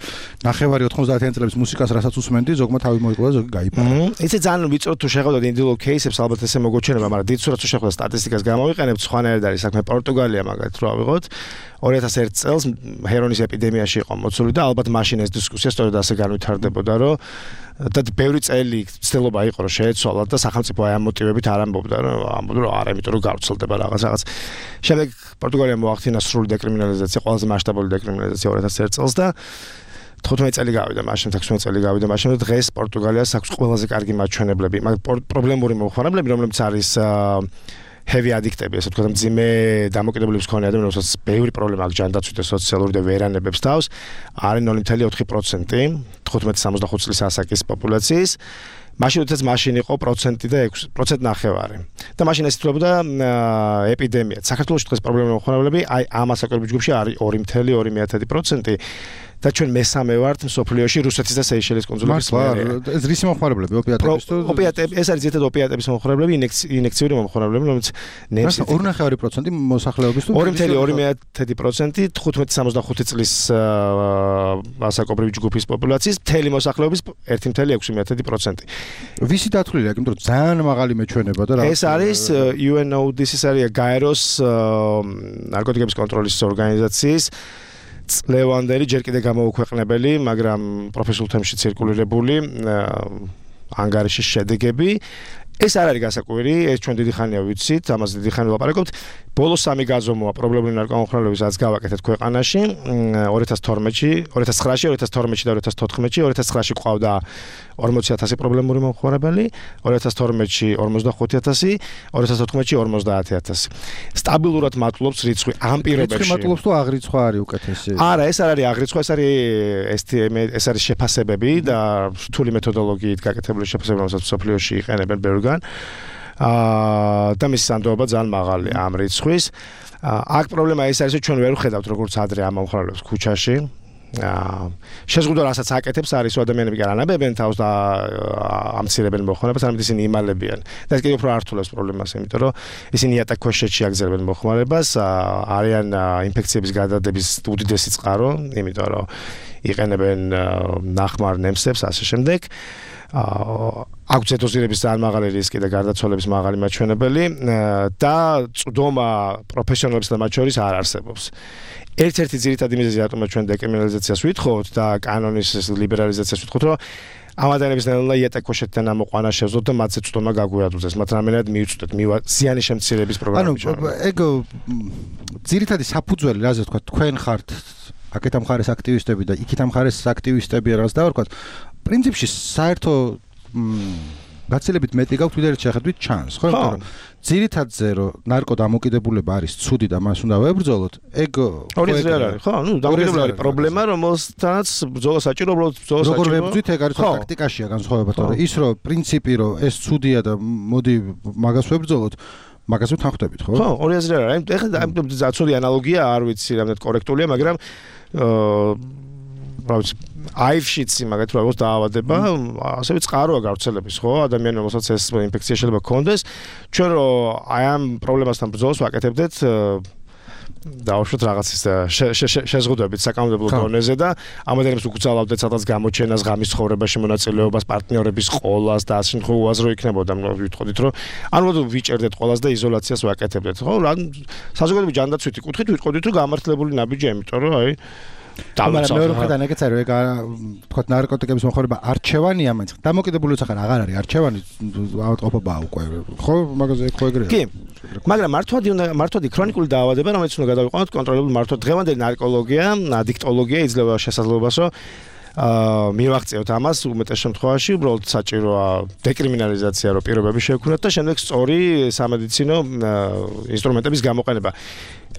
[SPEAKER 1] ნახევარი ოთხმოცდაათი წლების მუსიკას რასაც უსმენდი, ზოგმა თავი მოიკლა, ზოგი გაიფარა.
[SPEAKER 2] იცი ძალიან ვიწროდ თუ შეხვდათ ინდივიდუალ кейსებს, ალბათ ესე მოგოჩვენება, მაგრამ დიდ სურათს თუ შეხვდათ სტატისტიკას გამოვიყენებთ, სხვანაირად არის საქმე. პორტუგალია მაგალითად რო ავიღოთ, ორი ათას ერთი წელს ჰეროინის ეპიდემიაში იყო მოცული და ალბათ მაშინ ეს დისკუსია სწორედ ასე განვითარდებოდა, რომ და ბევრი წელი ცდილობა იყო რომ შეეცვალათ და სახელმწიფო აი ამ მოტივებით არ ამბობდა რომ ამბობდა რომ არა იმიტომ რომ გავრცელდება რაღაც რაღაც შემდეგ პორტუგალიამ მოახდინა სრული დეკრიმინალიზაცია ყველაზე მასშტაბური დეკრიმინალიზაცია ორი ათას ერთი წელს და თხუთმეტი წელი გავიდა მაშინ ექვსმეტი წელი გავიდა მაშინ და დღეს პორტუგალიას აქვს ყველაზე კარგი მაჩვენებლები მაგრამ პრობლემური მომხმარებლები რომლებიც არის heavy addict-ები, ესე ვთქვათ, მძიმე დამოკიდებულების მქონე ადამიანებს, რომელსაც ბევრი პრობლემა აქვს ჯანდაცვით და სოციალური და ვერანებებს თავს, არის ნული კომა ოთხი პროცენტი თხუთმეტი სამოცდახუთი წლის ასაკის პოპულაციის. მაშინ როდესაც მაშინ იყო პროცენტი და ექვსი პროცენტი ნახევარი. და მაშინ ეს ითვლებოდა ეპიდემია. საქართველოში დღეს პრობლემური მომხმარებლები აი ამ ასაკობრივ ჯგუფში არის ორი კომა ორი პროცენტი. და ჩვენ მესამე ვართ მსოფლიოში რუსეთის და სეიშელის კუნძულების
[SPEAKER 1] მერე. ეს რისი მომხმარებლები ოპიატების თუ
[SPEAKER 2] ოპიატები ეს არის ზედმეტად ოპიატების მომხმარებლები, ინექციური მომხმარებლები, რომელიც ნემსი
[SPEAKER 1] ორი ნახევარი პროცენტი მოსახლეობის თუ
[SPEAKER 2] ორი კომა ორი პროცენტი თხუთმეტი სამოცდახუთი წლის ასაკობრივი ჯგუფის პოპულაციის მთელი მოსახლეობის ერთი კომა ექვსი პროცენტი.
[SPEAKER 1] ვისი დათვლილია, იმიტომ რომ ძალიან მაღალი მეჩვენება და რა.
[SPEAKER 2] ეს არის იუ ენ ო დი ეს არის გაეროს ნარკოტიკების კონტროლის ორგანიზაციის წლევანდელი ჯერ კიდე გამოუქვეყნებელი, მაგრამ პროფესიულ თემში ცირკულირებული ანგარიშის შედეგები. ეს არ არის გასაკვირი, ეს ჩვენ დიდი ხანია ვიცით, ამაზე დიდი ხანი ვლაპარაკობთ. ბოლოს სამი გაზომვა პრობლემური ნარკომომხმარებლების რაც გავაკეთეთ ქვეყანაში ორი ათას თორმეტში, ორი ათას ცხრაში, ორი ათას თორმეტში და ორი ათას თოთხმეტში, ორი ათას ცხრაში ყავდა ორმოცი ათასი პრობლემური მომხმარებელი, ორი ათას თორმეტში ორმოცდახუთი ათასი, ორი ათას თოთხმეტში ორმოცდაათი ათასი. სტაბილურად მატულობს რიცხვი ამ პირობებში.
[SPEAKER 1] რიცხვი მატულობს თუ აღრიცხვა არის უკეთესი?
[SPEAKER 2] არა, ეს არ არის აღრიცხვა, ეს არის ეს ტი ემ, ეს არის შეფასებები და რთული მეთოდოლოგიით გაკეთებული შეფასებები, რომელსაც სოფლიოში იყენებენ ბევრგან. აა და მის სანდოობა ძალიან მაღალი ამ რიცხვის. აქ პრობლემა ეს არის, რომ ჩვენ ვერ ვხედავთ როგორც ადრე ამ მომხმარებლებს ქუჩაში. აა შეზღუდვა რასაც აკეთებს არის რომ ადამიანები კი არ ანაბებენ თავს და ამცირებენ მოხმარებას, არამედ ისინი იმალებიან. და ეს კიდევ უფრო ართულებს პრობლემას, იმიტომ რომ ისინი იატაკქვეშეთში აგზერებენ მოხმარებას, არიან ინფექციების გადადების უდიდესი წყარო, იმიტომ რომ იყენებენ ნახმარ ნემსებს ასე შემდეგ. აქვს დოზირების ძალიან მაღალი რისკი და გარდაცვალების მაღალი მაჩვენებელი და წვდომა პროფესიონალებსა და მათ შორის არ არსებობს. ერთ-ერთი ძირითადი მიზეზი რატომაც ჩვენ დეკრიმინალიზაციას ვითხოვთ და კანონის ლიბერალიზაციას ვითხოვთ, რომ ამ ადამიანების ნელა იატაკქვეშეთიდან ამოყვანა შევძლოთ და მათზე წვდომა გაგვიადუძეს, მათ რამენად მიუწვდეთ ზიანი შემცირების პროგრამები.
[SPEAKER 1] ანუ ეგ ძირითადი საფუძველი, რაზე ვთქვა, თქვენ ხართ აქეთ ამ ხარეს აქტივისტები და იქით ამ ხარეს აქტივისტები რაც დავარქვათ. პრინციპში საერთო გაცილებით მეტი გაქვთ ვიდრე შეხედვით ჩანს, ხო? იმიტომ რომ ძირითადზე რომ ნარკო დამოკიდებულება არის ცუდი და მას უნდა ვებრძოლოთ, ეგ
[SPEAKER 2] ორი აზრი არ არის, ხო? ნუ დამოკიდებულება არის პრობლემა, რომელთანაც ბრძოლა საჭირო, უბრალოდ ბრძოლა საჭირო.
[SPEAKER 1] როგორ ვებრძვით, ეგ არის ტაქტიკაშია განსხვავება, თორე ის რომ პრინციპი რომ ეს ცუდია და მოდი მაგას ვებრძოლოთ, მაგას ვთანხმდებით, ხო?
[SPEAKER 2] ხო, ორი აზრი არ არის. ეხლა ცუდი ანალოგია არ ვიცი, რამდენად კორექტულია, მაგრამ აა რავი, აირშიც მაგათ რა ვოს დაავადება, ასევე წყაროა გავრცელების, ხო? ადამიანს რომელსაც ეს ინფექცია შეიძლება ჰქონდეს, ჩვენ რომ აი ამ პრობლემასთან ბრძოლას ვაკეთებდეთ დაუშვათ რაღაცის შეზღუდვებით საკანონმდებლო დონეზე და ამ ადამიანებს უკუცალავდეთ სადაც გამოჩენას, ღამის ცხოვრებაში მონაწილეობას, პარტნიორების ყოლას და ასე შემთხვევაში უაზრო იქნებოდა, ვიტყოდით, რომ ანუ ვიჭერდეთ ყოლას და იზოლაციას ვაკეთებდეთ, ხო? საზოგადოების ჯანდაცვითი კუთხით ვიტყოდით, რომ გამართლებული ნაბიჯია, იმიტომ რომ აი
[SPEAKER 1] მაგრამ მეორე მხრიდან ეგეც არის, ეგ თქვა ნარკოტიკების მომხმარება არჩევანია, მაინც დამოკიდებულიც ახლა აღარ არის არჩევანი, ავადმყოფობაა უკვე, ხო? მაგაზე ხო ეგრეა.
[SPEAKER 2] კი. მაგრამ მართვადი უნდა მართვადი ქრონიკული დაავადება, რომელიც უნდა გადავიყვანოთ კონტროლებული მართვა. დღევანდელი ნარკოლოგია, ადიქტოლოგია იძლევა შესაძლებლობას, რომ აა მივაღწევთ ამას უმეტეს შემთხვევაში, უბრალოდ საჭიროა დეკრიმინალიზაცია, რომ პირობები შევქმნათ და შემდეგ სწორი სამედიცინო ინსტრუმენტების გამოყენება.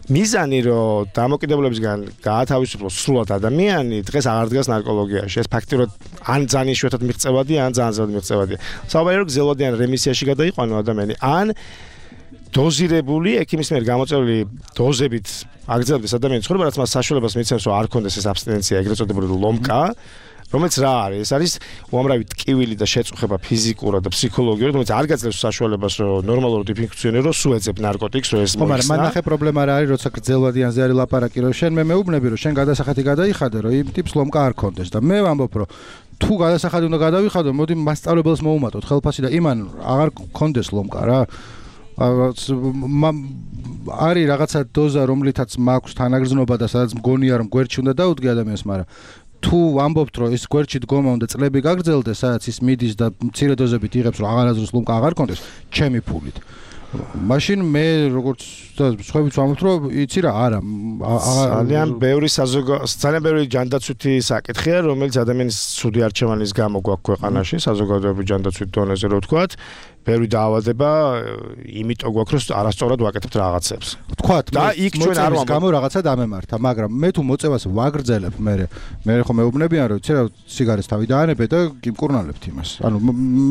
[SPEAKER 2] მიზანი რომ დამოკიდებულებისგან გაათავისუფლოს სრულად ადამიანი დღეს აღარ დგას ნარკოლოგიაში. ეს ფაქტიურად ან ძალიან იშვიათად მიღწევადია, ან ძალიან ზედ მიღწევადია. საუბარია რომ გზელვადიან რემისიაში გადაიყვანო ადამიანი, ან დოზირებული ექიმის მიერ გამოწვეული დოზებით აგრძელებდეს ადამიანის ცხოვრება, რაც მას საშუალებას მიცემს რომ არ ქონდეს ეს აბსტინენცია, ეგრეთ წოდებული ლომკა, რომელიც რა არის? ეს არის უამრავი ტკივილი და შეწუხება ფიზიკურად და ფსიქოლოგიურად, რომელიც არ გაძლევს საშუალებას რომ ნორმალურად იფუნქციონიროს, სუეძებ ნარკოტიკს, რომ ეს
[SPEAKER 1] მოიხსნა. მაგრამ მან ნახე პრობლემა რა არის, როცა გრძელვადიანზე არის ლაპარაკი, რომ შენ მე მეუბნები, რომ შენ გადასახადი გადაიხადე, რომ იმ ტიპს ლომკა არ ქონდეს და მე ვამბობ, რომ თუ გადასახადი უნდა გადავიხადო, მოდი მასწავლებელს მოუმატოთ ხელფასი და იმან აღარ ქონდეს ლომკა რა. არის რაღაცა დოზა, რომლითაც მაქვს თანაგრძნობა და სადაც მგონია რომ გვერდში უნდა დაუდგე ადამიანს, მაგრამ თუ ვამბობთ რომ ის გვერდში დგომა უნდა წლები გაგრძელდეს, სადაც ის მიდის და მცირე დოზებით იღებს, რომ აღარაზრუს ლომკა აღარ ქონდეს, ჩემი ფულით. მაშინ მე როგორც სხვაებიც ვამბობთ რომ იცი რა, არა,
[SPEAKER 2] ძალიან ბევრი საზოგადო ძალიან ბევრი ჯანდაცვითი საკითხია, რომელიც ადამიანის ცუდი არჩევანის გამო გვაქვს ქვეყანაში, საზოგადოების ჯანდაცვით დონეზე რო ვთქვათ. ბევრი დაავადება, იმიტომ გვაქვს რომ არასწორად ვაკეთებთ რაღაცებს.
[SPEAKER 1] თქვათ
[SPEAKER 2] და იქ ჩვენ არ ვამბობთ
[SPEAKER 1] გამო რაღაცა დამემართა, მაგრამ მე თუ მოწევას ვაგრძელებ, მე მე ხო მეუბნებიან რომ იცი რა სიგარეს თავი დაანებე და გიმკურნალებთ იმას. ანუ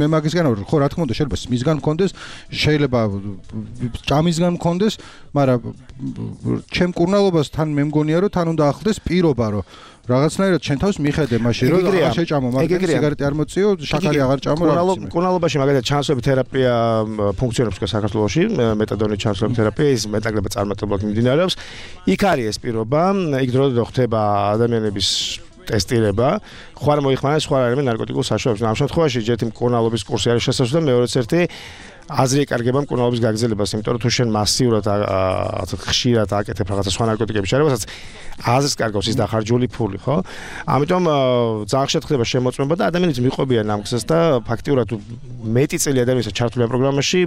[SPEAKER 1] მე მაგისგან ვარ, ხო რა თქმა უნდა შეიძლება მისგან მქონდეს, შეიძლება ჭამისგან მქონდეს, მაგრამ ჩემ კურნალობას თან მე მგონია რომ თან უნდა ახლდეს პირობა რომ რაღაცნაირად შენ თავს მიხედე მაშინ რომ აღარ შეჭამო, მაგრამ სიგარეტი არ მოწიო, შაქარი აღარ ჭამო რა.
[SPEAKER 2] კურნალობაში მაგალითად ჩანსვები თერაპია ფუნქციონობს თქვა საქართველოში, მეტადონის ჩანსვები თერაპია ის მეტნაკლებად წარმატებულად მიმდინარეობს. იქ არის ეს პირობა, იქ დროდადრო ხდება ადამიანების ტესტირება, ხო არ მოიხმარება სხვა რამე ნარკოტიკულ საშუალებებს. ამ შემთხვევაში ჯერ იმ კურნალობის კურსი არის შესაძლებელი და მეორეც ერთი აზრი ეკარგება მკურნალობის გაგრძელებას, იმიტომ რომ თუ შენ მასიურად ასე ხშირად აკეთებ რაღაცა სხვა ნარკოტიკების შარებასაც აზრს კარგავს ის დახარჯული ფული, ხო? ამიტომ ძალიან ხშირად ხდება შემოწმება და ადამიანიც მიყვებიან ამ გზას და ფაქტიურად მეტი წელი ადამიანის ჩართულია პროგრამაში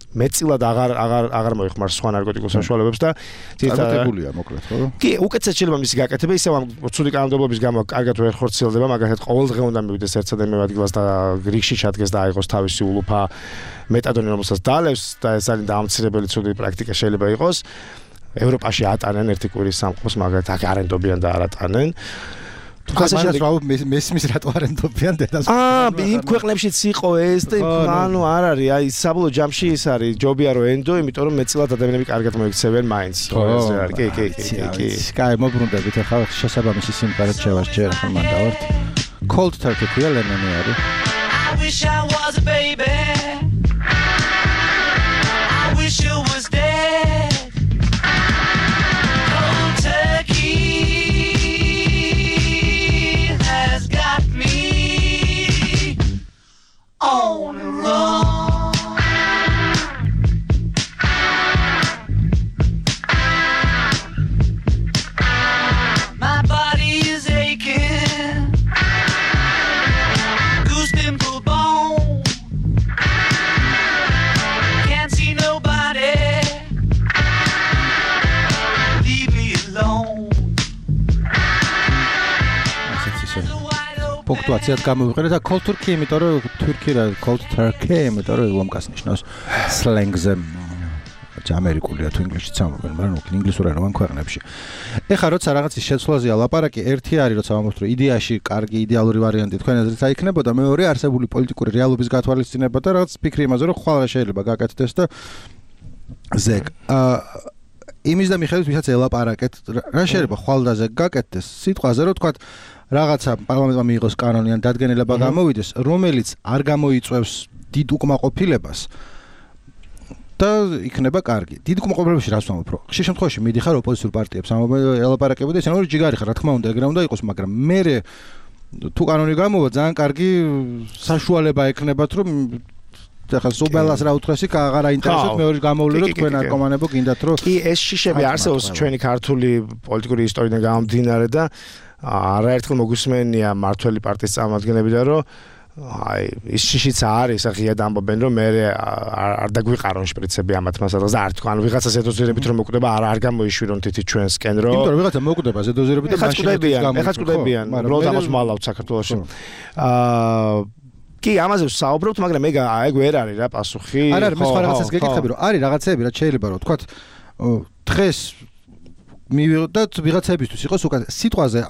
[SPEAKER 2] მეტწილად აღარ აღარ აღარ მოიხმარს სხვა ნარკოტიკულ საშუალებებს და
[SPEAKER 1] წარმატებულია მოკლედ, ხო?
[SPEAKER 2] კი, უკეთესად შეიძლება მისი გაკეთება, ისევ ამ ცუდი კანონმდებლობის გამო კარგად ვერ ხორციელდება, მაგალითად ყოველდღე უნდა მივიდეს ერთ სადემე ადგილას და რიგში ჩადგეს და აიღოს თავისი ულუფა მეტადონი, რომელსაც დალევს და ეს არის დამცირებელი ცუდი პრაქტიკა შეიძლება იყოს. ევროპაში ატანენ ერთი კვირის სამყაროს, მაგალითად აქ არენდობიან და არ ატანენ.
[SPEAKER 1] თუმცა რა მესმის რატო არენდობიან დედას?
[SPEAKER 2] აა, იმ ქვეყნებშიც იყო ეს და ანუ არ არის, აი საბოლოო ჯამში ის არის, ჯობია რომ ენდო, იმიტომ რომ მეტწილად ადამიანები კარგად მოიქცევენ მაინც. ეს არის, კი, კი, კი, კი.
[SPEAKER 1] კაი, მოbrunდებით ახლა შესაბამისი სიმღერა შევარჩიე ახლა მან დავართ. Cold Turkey ქვია ლენონი არის. I wish I was a baby. I wish you was dead. Cold Turkey has got me on the run. My body is aching, goose pimple bone. Can't see nobody. Leave me alone. პუნქტუაციად გამოვიყენეთ და Cold Turkey, იმიტომ რომ თურქი რა Cold Turkey, იმიტომ რომ ლომკას ნიშნავს სლენგზე. ამერიკულია თუ ინგლისურით ამბობენ, მაგრამ უკან ინგლისური ენა ქვეყნებში. ეხლა როცა რაღაცის შეცვლაზეა ლაპარაკი, ერთი არის როცა ამბობთ რომ იდეაში კარგი იდეალური ვარიანტი თქვენ აზრით აიქნებოდა, მეორე არსებული პოლიტიკური რეალობის გათვალისწინება და რაღაც ფიქრი იმაზე რომ ხვალ რა შეიძლება გაკეთდეს და ზეგ. აა იმის და მიხედვით ვისაც ელაპარაკეთ, რა შეიძლება ხვალ და ზეგ გაკეთდეს სიტყვაზე რომ თქვა რაღაცა პარლამენტმა მიიღოს კანონი ან დადგენილება გამოვიდეს, რომელიც არ გამოიწვევს დიდ უკმაყოფილებას და იქნება კარგი. დიდ უკმაყოფილებაში რას ვამბობ, რომ ხშირ შემთხვევაში მიდიხარ ოპოზიციურ პარტიებს ელაპარაკებოდი, ესენ რომ ჯიგარი ხარ, რა თქმა უნდა, ეგრე უნდა იყოს, მაგრამ მე თუ კანონი გამოვა, ძალიან კარგი საშუალება ექნებათ, რომ ახლა სუბელას რა უთხრეს იქ აღარ აინტერესებს მეორე გამოვლე რომ თქვენ ნარკომანებო გინდათ რომ
[SPEAKER 2] კი ეს შიშები არსებობს ჩვენი ქართული პოლიტიკური ისტორიიდან გამომდინარე და არაერთხელ მოგვისმენია მართველი პარტიის წარმომადგენლებიდან რომ აი ის შიშიც არის აღიად ამბობენ რომ მე არ დაგვიყარონ შპრიცები ამათ მასალას და არ თქვა ანუ ვიღაცა ზედოზერებით რომ მოკვდება არ არ გამოიშვირონ თითი ჩვენსკენ რომ
[SPEAKER 1] იმიტომ რომ ვიღაცა მოკვდება ზედოზერებით და
[SPEAKER 2] მაშინ ეხა წვდებიან უბრალოდ ამას მალავთ საქართველოში აა კი ამაზე ვსაუბრობთ მაგრამ ეგ ეგ ვერ არის რა პასუხი
[SPEAKER 1] არ არის მე სხვა რაღაცას გეკითხები რომ არის რაღაცეები რაც შეიძლება რომ თქვა დღეს მივიღოთ ვიღაცებისთვის იყოს უკან სიტყვაზე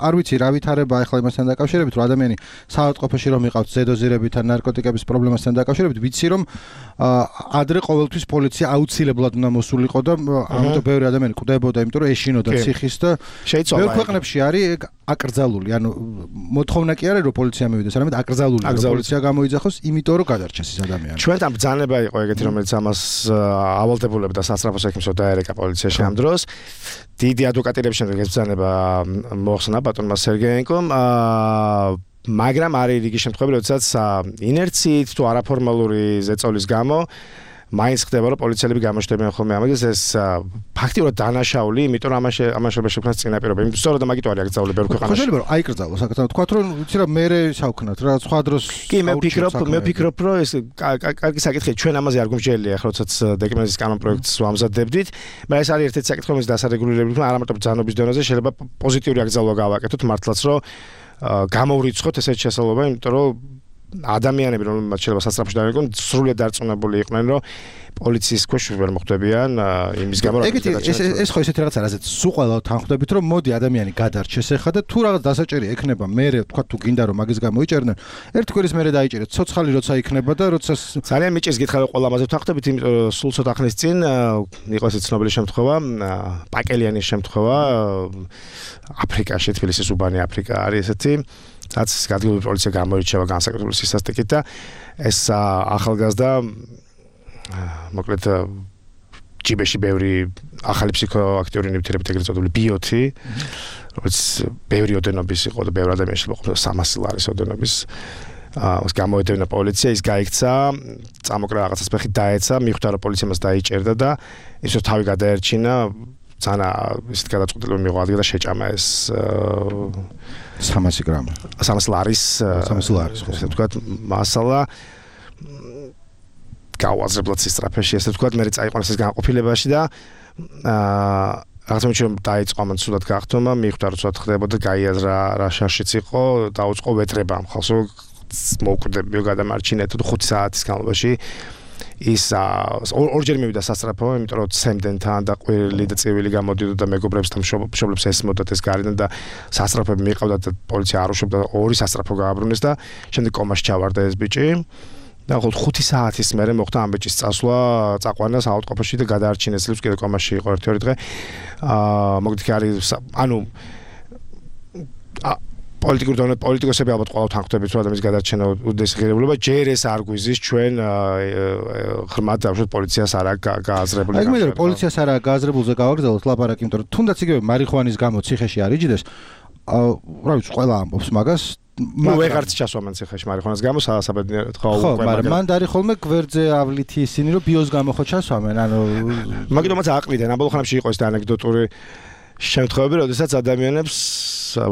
[SPEAKER 1] არ ვიცი რა ვითარება ახლა იმასთან დაკავშირებით რომ ადამიანი საავადმყოფოში რომ იყავთ ზედოზირებით ან ნარკოტიკების პრობლემასთან დაკავშირებით ვიცი რომ ადრე ყოველთვის პოლიცია აუცილებლად უნდა მოსულიყო და ამიტომ ბევრი ადამიანი კვდებოდა იმიტომ რომ ეშინოდა ციხის და ბევრ ქვეყნებში არის აკრძალული ანუ მოთხოვნა კი არის რომ პოლიცია მივიდეს არამედ აკრძალული რომ პოლიცია გამოიძახოს იმიტომ რომ გადარჩეს ის ადამიანი
[SPEAKER 2] ჩვენთან ბრძანება იყო ეგეთი რომელიც ამას ავალდებულებდა სასწრაფოს ექიმსო დაერეკა პოლიციაში ამ დროს დიდი ადვოკატირების შემდეგ ეს ბრძანება მოხსნა ბატონმა სერგეენკომ მაგრამ არის რიგი შემთხვევები როდესაც ინერციით თუ არაფორმალური ზეწოლის გამო მაინც ხდება რომ პოლიციელები გამოჩნდებიან ხოლმე ამას ეს ფაქტიურად დანაშაული იმიტომ რომ ამაში ამაში შექმნას წინაპირობა იმიტომ სწორედ მაგით არის აკრძალული ბევრ ქვეყანაში
[SPEAKER 1] ხო შეიძლება რომ აიკრძალოს საკაცო თქვა რომ ვიცი რა მე საუქნათ რა სხვა დროს
[SPEAKER 2] კი მე ვფიქრობ მე ვფიქრობ რომ ეს კარგი საკითხია ჩვენ ამაზე არ გვიმსჯელია ახლა როდესაც დეკრეტის კანონ პროექტს ვამზადებდით მაგრამ ეს არის ერთ-ერთი საკითხი რომელიც დასარეგულირებული არა მარტო ბრძანობის დონეზე შეიძლება პოზიტიური აკრძალვა გავაკეთოთ მართლაც რომ გამოვრიცხოთ ესეთ შესაძლებლობა იმიტომ რომ ადამიანები რომ შეიძლება სასწრაფოში დაიყვნენ სრულიად დარწმუნებული იყვნენ რომ პოლიციის ქვეშ ვერ მოხვდებიან იმის გამო რომ
[SPEAKER 1] ეგეთი ეს ეს ხო ესეთი რაღაცა რაზეც სულ ყველა თანხმდებით რომ მოდი ადამიანი გადარჩეს ახლა და თუ რაღაც დასაჭერი ექნება მე თქვა თუ გინდა რომ მაგის გამოიჭერდნენ ერთ კვირის მერე დაიჭერეთ ცოცხალი როცა იქნება და როცა
[SPEAKER 2] ძალიან მიჭირს გითხრა რომ ყველა ამაზე თანხმდებით იმიტომ რომ სულ ცოტა ხნის წინ იყო ეს ცნობილი შემთხვევა პაკელიანის შემთხვევა აფრიკაში თბილისის უბანი აფრიკა არის ესეთი რაც ადგილობრივი პოლიცია გამოირჩევა განსაკუთრებული სისასტიკით და ეს ახალგაზრდა მოკლედ ჯიბეში ბევრი ახალი ფსიქოაქტიური ნივთიერებით ეგრეთ წოდებული ბიოთი რომელიც ბევრი ოდენობის იყო და ბევრი ადამიანი შეიძლება სამასი ლარის ოდენობის აა გამოედევნა პოლიცია ის გაიქცა წამოკრა რაღაცას ფეხი დაეცა მიხვდა რომ პოლიციამ მას დაიჭერდა და ის რომ თავი გადაერჩინა ძანა ისეთ გადაწყვეტილება მიიღო ადგილ და შეჭამა ეს
[SPEAKER 1] სამასი გრამი
[SPEAKER 2] სამასი ლარის
[SPEAKER 1] სამასი ლარის
[SPEAKER 2] ესე ვთქვათ მასალა გავაზრებლად სისტრაფეში ესე ვთქვათ მე წაიყვანეს ეს განყოფილებაში და აა რაღაც მომენტში რომ დაიწყო ამან სულად გახტომა მიხვდა რომ სულად ხდებოდა გაიაზრა რა შაშიც იყო დაუწყო ვეტრება ამ ხალხს მოუკვდებიო გადამარჩინეთ და ხუთი საათის განმავლობაში ის ორჯერ მივიდა სასწრაფო, იმიტომ რომ ცემდნენ თან და ყვირილი და წივილი გამოდიოდა და მეგობრებსთან მშობლებს ესმოდათ ეს გარიდან და სასწრაფოები მიყავდათ და პოლიცია არ უშვებდა ორი სასწრაფო გააბრუნეს და შემდეგ კომაში ჩავარდა ეს ბიჭი და ხუთი საათის მერე მოხდა ამ ბიჭის წასვლა წაყვანა საავადმყოფოში და გადაარჩინეს წლებს კიდე კომაში იყო ერთი ორი დღე აა მოგდი არის ანუ პოლიტიკურ დონე პოლიტიკოსები ალბათ ყველა თანხმდებით რომ ადამიანის გადარჩენა უდიდესი ღირებულება ჯერ ეს არ გვიზის ჩვენ ღრმად დავშოთ პოლიციას არა გააზრებული
[SPEAKER 1] აი მე პოლიციას არა გააზრებულზე გავაგრძელოთ ლაპარაკი იმიტომ რომ თუნდაც იგივე მარიხუანის გამო ციხეში არ იჯდეს რა ვიცი ყველა ამბობს მაგას
[SPEAKER 2] ნუ ვეღარც ჩასვამენ ციხეში მარიხუანის გამო საბედნიეროდ ხო
[SPEAKER 1] ხო მაგრამ მან დარი ხოლმე გვერდზე ავლითი ისინი რომ ბიოს გამო ხო ჩასვამენ ანუ
[SPEAKER 2] მაგიტომაც აყრიდან ამ ბოლო ხანებში იყო ეს ანეკდოტური შემთხვევები, როდესაც ადამიანებს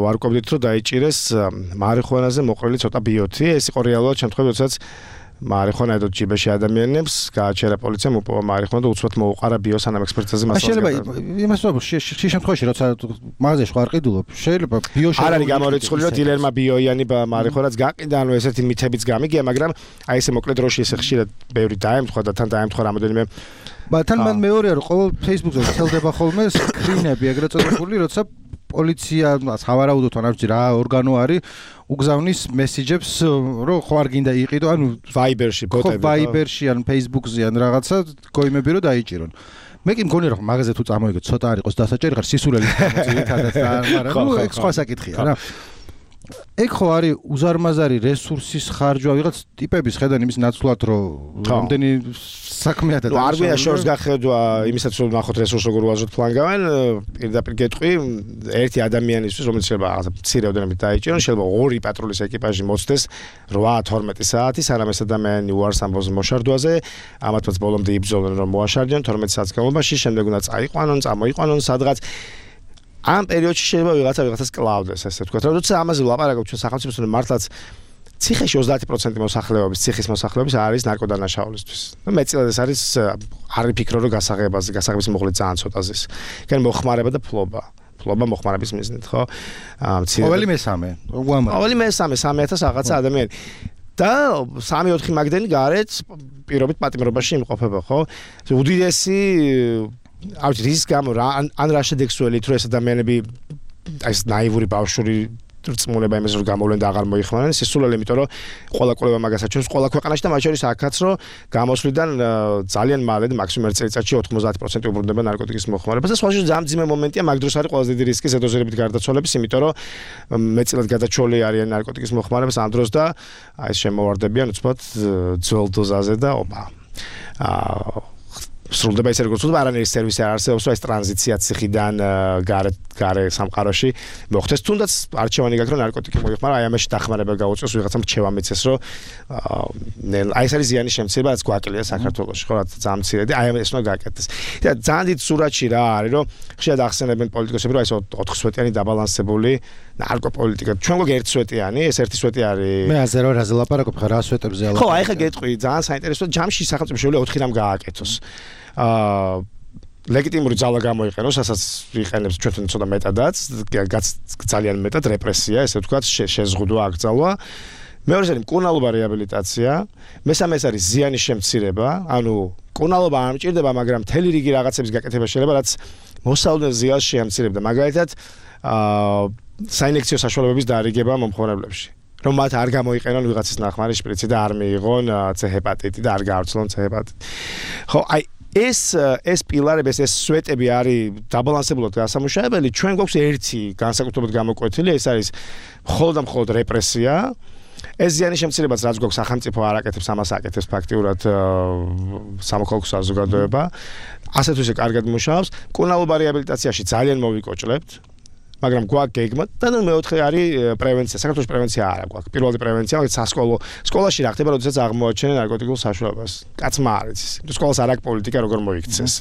[SPEAKER 2] ვარკვევდით, რომ დაიჭირეს მარიხუანაზე მოყრილი ცოტა ბიოთი. ეს იყო რეალურად შემთხვევა, როდესაც მარიხუანა ედოთ ჯიბეში ადამიანებს, გააჩერა პოლიციამ უპოვა მარიხუანა და უცბად მოუყარა ბიოს ანამ ექსპერტიზაზე მასალას.
[SPEAKER 1] შეიძლება იმას ვთქვათ, შე შემთხვევაში, როცა მაღაზიაში ვარ ყიდულობ, შეიძლება ბიოში
[SPEAKER 2] არ არის გამორიცხული, რომ დილერმა ბიოიანი მარიხუანაც გაყიდა, ანუ ესეთი მითებიც გამიგია, მაგრამ აი ესე მოკლედ როში ესე ხშირად ბევრი დაემთხვა და თან დაემთხვა რამოდენიმე
[SPEAKER 1] მაგრამ მან მეორეა რომ ყოველ Facebook-ზე ვრცელდება ხოლმე სკრინები ეგრეთ წოდებული, როცა პოლიცია სავარაუდოდ არ ვიცი რა ორგანო არის უგზავნის მესიჯებს რომ ხო არ გინდა იყიდო ანუ
[SPEAKER 2] Viber-ში ბოტები
[SPEAKER 1] ხო Viber-ში ან Facebook-ზე ან რაღაცა გოიმები რომ დაიჭირონ მე კი მგონია რომ მაღაზიაზე თუ წამოიგეთ ცოტა არ იყოს დასაჭერი ხარ სისულელი გამოძიეთადაც და მაგრამ ნუ ეგ სხვა საკითხია რა ეგ ხო არის უზარმაზარი რესურსის ხარჯვა ვიღაც ტიპების ხედან იმის ნაცვლად რომ რამდენი საქმეა და
[SPEAKER 2] არ გვია შორს გახედვა იმისაც რომ ნახოთ რესურს როგორ უაზროთ ფლანგავენ პირდაპირ გეტყვი ერთი ადამიანისთვის რომელიც შეიძლება რაღაცა მცირე ოდენობით დაიჭირონ შეიძლება ორი პატრულის ეკიპაჟი მოწდეს რვა თორმეტი საათი სანამ ეს ადამიანი უარს ამბობს მოშარდვაზე ამათაც ბოლომდე იბრძოლენ რომ მოაშარდონ თორმეტი საათის განმავლობაში შემდეგ უნდა წაიყვანონ წამოიყვანონ სადღაც ამ პერიოდში შეიძლება ვიღაცა ვიღაცას კლავდეს ესე ვთქვათ როცა ამაზე ვლაპარაკობ ჩვენ სახელმწიფოს რომ მართლაც ციხეში ოცდაათი პროცენტი მოსახლეობის ციხის მოსახლეობის არის ნარკოდანაშაულისთვის. ნუ მეტწილად ეს არის არ ვიფიქრო რომ გასაღებაზე, გასაღების მოხლე ძალიან ცოტა ზის. იქნებ მოხმარება და ფლობა. ფლობა მოხმარების მიზნით, ხო? აა
[SPEAKER 1] ყოველი მესამე. უამრავი.
[SPEAKER 2] ყოველი მესამე სამი ათას რაღაცა ადამიანი. და სამი ოთხი მაგდენი გარეთ პირობით პატიმრობაში იმყოფება, ხო? უდიდესი არ ვიცი რის გამო რა ან რა შედეგსუელით რომ ეს ადამიანები აი ეს ნაივური ბავშვური რწმუნება იმას რომ გამოვლენ და აღარ მოიხმარენ სისულელი იმიტომ რომ ყველა კვლევა მაგას აჩვენებს ყველა ქვეყანაში და მათ შორის აქაც რომ გამოსვლიდან ძალიან მალე და მაქსიმუმ ერთ წელიწადში ოთხმოცდაათი პროცენტი უბრუნდება ნარკოტიკის მოხმარებას და სხვა შორის ძალიან ძიმე მომენტია მაგ დროს არის ყველაზე დიდი რისკი ზედოზერებით გარდაცვალების იმიტომ რომ მეტწილად გადაჭრილი არიან ნარკოტიკის მოხმარებას ამ დროს და აი ეს შემოვარდებიან უცბად ძველ დოზაზე და ოპა აა სრულდება ისე როგორც უნდა არანაირი სერვისი არ არსებობს რა ეს ტრანზიცია ციხიდან გარე გარე სამყაროში მოხდეს თუნდაც არჩევანი გაქვს რომ ნარკოტიკი მოიხმარა აი ამაში დახმარება გაუწევს ვიღაცამ რჩევა მიცეს რომ აი ეს არის ზიანის შემცირება რაც გვაკლია საქართველოში ხო რა ძალიან მცირედი აი ეს უნდა გააკეთდეს და ძალიან დიდ სურათში რა არის რომ ხშირად ახსენებენ პოლიტიკოსები რომ აი ეს ოთხ სვეტიანი დაბალანსებული ნარკოპოლიტიკა ჩვენ გვაქვს ერთ სვეტიანი ეს ერთი სვეტი არის
[SPEAKER 1] მე აზე რა რაზე ლაპარაკობ ხა რა სვეტებზე
[SPEAKER 2] ლაპარაკობ ხო აი ხა გეტყვი ძალიან საინტერესოა ჯამში სახელმწიფო შეუძლია ოთხი რამ გააკეთოს აა ლეგიტიმური ძალა გამოიყენოს, ასაც იყენებს ჩვენთან ცოტა მეტადაც, ძალიან მეტად რეპრესია, ესე ვთქვათ, შეზღუდვა აკრძალვა. მეორე არის მკურნალობა რეაბილიტაცია, მესამე არის ზიანის შემცირება, ანუ მკურნალობა არ მჭირდება, მაგრამ მთელი რიგი რაღაცების გაკეთება შეიძლება, რაც მოსალოდნელ ზიანს შეამცირებდა. მაგალითად, აა საინექციო საშუალებების დარიგება მომხმარებლებში. რომ მათ არ გამოიყენონ ვიღაცის ნახმარი შპრიცი და არ მიიღონ C ჰეპატიტი და არ გაავრცელონ C ჰეპატიტი. ხო, აი ეს ეს პილარები, ეს სვეტები არის დაბალანსებულად გასამუშავებელი. ჩვენ გვაქვს ერთი განსაკუთრებულად გამოკვეთილი, ეს არის მხოლოდ და მხოლოდ რეპრესია. ეს ზიანის შემცირებაც რაც გვაქვს სახელმწიფო არ აკეთებს, ამას აკეთებს ფაქტიურად სამოქალაქო საზოგადოება. ასე თუ ისე კარგად მუშაობს. მკურნალობა რეაბილიტაციაში ძალიან მოვიკოჭლებთ. მაგრამ გვაქვს გეგმა და მეოთხე არის პრევენცია. საქართველოს პრევენცია არ აქვს. პირველი პრევენცია, მაგალითად სასკოლო სკოლაში რა ხდება, როდესაც აღმოაჩენენ ნარკოტიკულ საშუალებას. კაცმა არ იცის. სკოლას არ აქვს პოლიტიკა, როგორ მოიქცეს.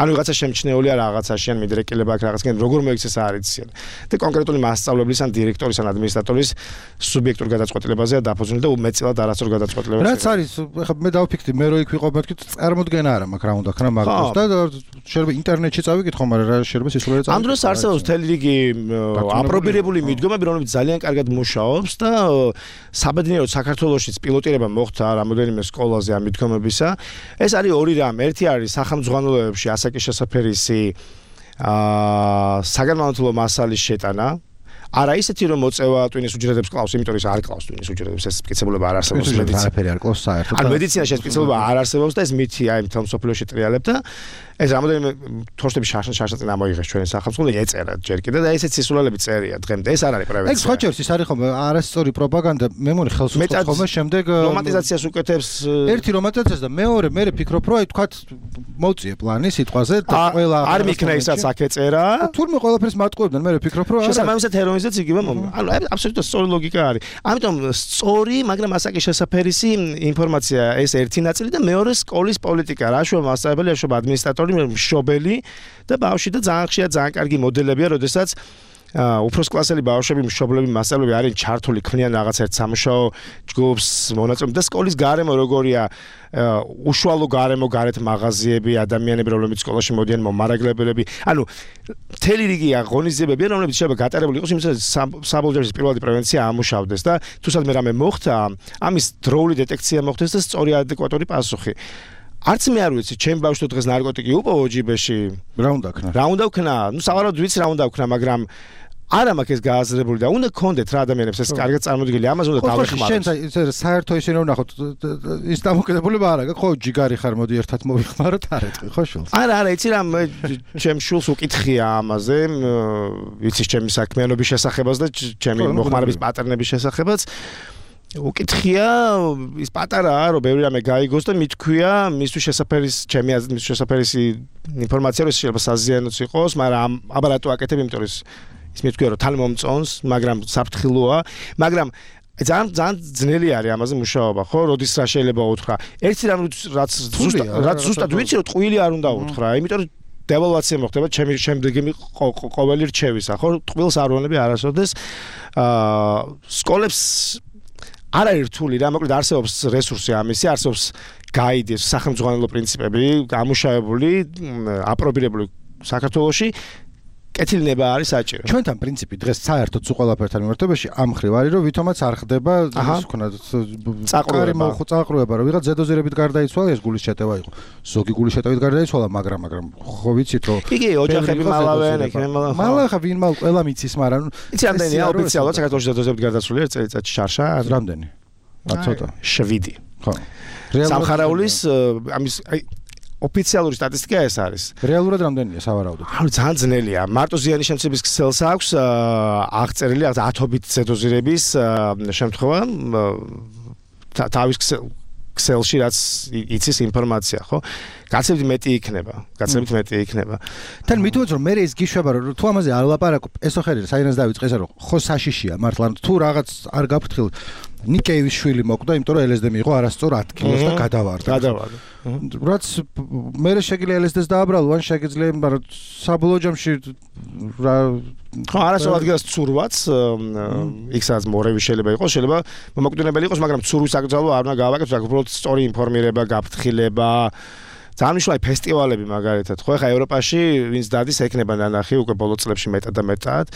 [SPEAKER 2] ანუ ვიღაცა შემჩნეულია რაღაცაში, ან მიდრეკილება აქვს რაღაცგან, როგორ მოიქცეს არ იციან. და კონკრეტული მასწავლებლის ან დირექტორის ან ადმინისტრატორის სუბიექტურ გადაწყვეტილებაზეა დაფუძნილი და უმეტწილად არასწორ გადაწყვეტილებებს.
[SPEAKER 1] რაც არის, ხა მე დავფიქრდი, მე რო იქ ვიყო, მეთქი წარმოდგენა არა მაქვს რა უნდა ქნა მაგას და შეიძლება ინტერნეტში წავიკითხო, მაგრამ რა შეიძლება სისულელე წავიკითხო.
[SPEAKER 2] ამ დროს არსებობს მთელი რიგი აპრობირებული მიდგომები, რომლებიც ძალიან კარგად მუშაობს და საბედნიეროდ საქართველოშიც პილოტირება მოხდა რამოდენიმე სკოლაზე ამ მიდგომებისა. ეს არის ორი რამ. ერთი არის სახელმძღვანელოებში ასაკის შესაფერისი აა საგანმანათლებლო მასალის შეტანა. არა ისეთი რომ მოწევა ტვინის უჯრედებს კლავს, იმიტომ რომ არ კლავს ტვინის უჯრედებს, ეს სპეციფიკობა არ არსებობს
[SPEAKER 1] მედიცინაში. არაფერი არ კლავს საერთოდ.
[SPEAKER 2] ან მედიცინაში სპეციფიკობა არ არსებობს და ეს მითი აი მთელ მსოფლიოში ტრიალებ და ეს რამოდენიმე თორშტების შარშან ამოიღეს ჩვენი სახელმწიფო ეწერა ჯერ კიდე და ესეც სისულელები წერია დღემდე. ეს არ არის პრევენცია.
[SPEAKER 1] ეგ სხვა ჯერს ის არის ხომ არასწორი პროპაგანდა, მე მგონი ხელს უწყობს ხოლმე შემდეგ
[SPEAKER 2] რომანტიზაციას უკეთებს.
[SPEAKER 1] ერთი რომანტიზაციას და მეორე მე ფიქრობ რომ აი თქვათ მოუწიე პლანი სიტყვაზე და ყველა
[SPEAKER 2] არ მიქნა ისაც აქ ეწერა.
[SPEAKER 1] თურმე ყველაფერს მატყუებდნენ მე ფიქრობ რომ
[SPEAKER 2] შესაბამისად ჰეროინზეც იგივე მომი. ანუ აბსოლუტურად სწორი ლოგიკა არის. ამიტომ სწორი, მაგრამ ასაკის შესაფერისი ინფორმაცია ეს ერთი ნაწილი და მეორე სკოლის პოლიტიკა. რაშუა მასწავლებელი, რაშუა ადმინისტრატორი მშობელი და ბავშვი და ძალიან ხშირად ძალიან კარგი მოდელებია, როდესაც უფროს კლასელი ბავშვები, მშობლები, მასწავლებლები არიან ჩართული, ქმნიან რაღაც ერთ სამუშაო ჯგუფს, მონაწილეობენ და სკოლის გარემო როგორია, უშუალო გარემო, გარეთ მაღაზიები, ადამიანები, რომლებიც სკოლაში მოდიან, მომარაგლებელები. ანუ მთელი რიგი აღონიზებებია, რომლებიც შეიძლება გატარებული იყოს, იმისათვის საბოლოო პირველადი პრევენცია ამუშავდეს და თუ სადმე რამე მოხდა, ამის დროული დეტექცია მოხდეს და სწორი ადეკვატური პასუხი. არც მე არ ვიცი, ჩემ ბავშვს დღეს ნარკოტიკი უპოვო ჯიბეში.
[SPEAKER 1] რა უნდა ქნა?
[SPEAKER 2] რა უნდა ქნა? ნუ სავარაუდოდ ვიცი რა უნდა ქნა, მაგრამ არა მაქვს ეს გააზრებული და უნდა გქონდეთ რა ადამიანებს ეს კარგად წარმოდგენილი, ამაზე უნდა დავეხმაროთ.
[SPEAKER 1] შენ საერთო ისე რომ ნახოთ, ის დამოკიდებულება არა გაქვს, ხო ჯიგარი ხარ, მოდი ერთად მოვიხმაროთ, არ ეტყვი ხო შულს?
[SPEAKER 2] არა, არა, იცი რა, ჩემ შულს უკითხია ამაზე, ვიცი ჩემი საქმიანობის შესახებაც და ჩემი მოხმარების პატერნების შესახებაც. უკითხია ის პატარაა რომ ბევრი რამე გაიგოს და მithქვია მისთვის შესაფერის ჩემი აზრით მისთვის შესაფერისი ინფორმაცია რომ შეიძლება საზიანოც იყოს, მაგრამ აბა რატო აკეთებ, იმიტომ რომ ის მithქვია რომ თან მომწონს, მაგრამ საფრთხილოა, მაგრამ ძალიან ძალიან ძნელი არის ამაზე მუშაობა, ხო? როდის რა შეიძლება უთხრა. ერთი რამ რაც ზუსტად რაც ზუსტად ვიცი რომ ტყუილი არ უნდა უთხრა, იმიტომ რომ დევალვაცია მოხდება ჩემი შემდეგი ყოველი რჩევისა, ხო? ტყუილს არ ვონები არასოდეს. აა სკოლებს არ არის რთული რა, მოკლედ არსებობს რესურსი ამისი, არსებობს გაიდი, სახელმძღვანელო პრინციპები, გამუშავებული, აპრობირებული საქართველოში. კეთილნება არის საჭირო.
[SPEAKER 1] ჩვენთან პრინციპი დღეს საერთოდ სულ ყველაფერთან მიმართებაში ამ ხრივ არის, რომ ვითომაც არ ხდება ის ვქონათ
[SPEAKER 2] წაყრუება,
[SPEAKER 1] წაყრუება, რომ ვიღაც ზედოზერებით გარდაიცვალა, ეს გულის შეტევა იყო. ზოგი გულის შეტევით გარდაიცვალა, მაგრამ მაგრამ ხო ვიცით რომ
[SPEAKER 2] იგი ოჯახები მალავენ, იქნებ მალავენ.
[SPEAKER 1] მალავენ ხა ვინ მალ ყველა მიცის, მაგრამ
[SPEAKER 2] იცი რამდენია ოფიციალურად საქართველოს ზედოზერებით გარდაცვლილი ერთ წელიწადში შარშა?
[SPEAKER 1] რამდენი? ცოტა.
[SPEAKER 2] შვიდი.
[SPEAKER 1] ხო.
[SPEAKER 2] სამხარაულის ამის აი ოფიციალური სტატისტიკა ეს არის.
[SPEAKER 1] რეალურად რამდენია სავარაუდოდ?
[SPEAKER 2] ანუ ძალიან ძნელია. მარტო ზიანის შემცირების ქსელს აქვს აღწერილი ათობით ზედოზირების შემთხვევა თავის ქსელში რაც იცის ინფორმაცია, ხო? გაცილებით მეტი იქნება, გაცილებით მეტი იქნება.
[SPEAKER 1] თან მithქვათ რომ მე ეს გიშვება რომ თუ ამაზე არ ლაპარაკობ, ესო ხერი საინას დავიწყე ესა რომ ხო საშიშია მართლა თუ რაღაც არ გაფრთხილ ნიკეევის შვილი მოკვდა, იმიტომ რომ ელ ეს დი მიიღო არასწორ ათ კილოს და გადავარდა.
[SPEAKER 2] გადავარდა.
[SPEAKER 1] რაც მე შეგვიძლია ელ ეს დი-ს დააბრალო, ან შეგვიძლია, მაგრამ საბოლოო ჯამში რა
[SPEAKER 2] ხო არასწორ ადგილას ცურვაც, იქსაც მორევი შეიძლება იყოს, შეიძლება მომაკვდინებელი იყოს, მაგრამ ცურვის აკრძალვა არ უნდა გავაკეთოთ, უბრალოდ სწორი ინფორმირება, გაფრთხილება ძალიან მნიშვნელოვანი ფესტივალები მაგალითად ხო ეხა ევროპაში ვინც დადის ეკნება ნანახი უკვე ბოლო წლებში მეტად და მეტად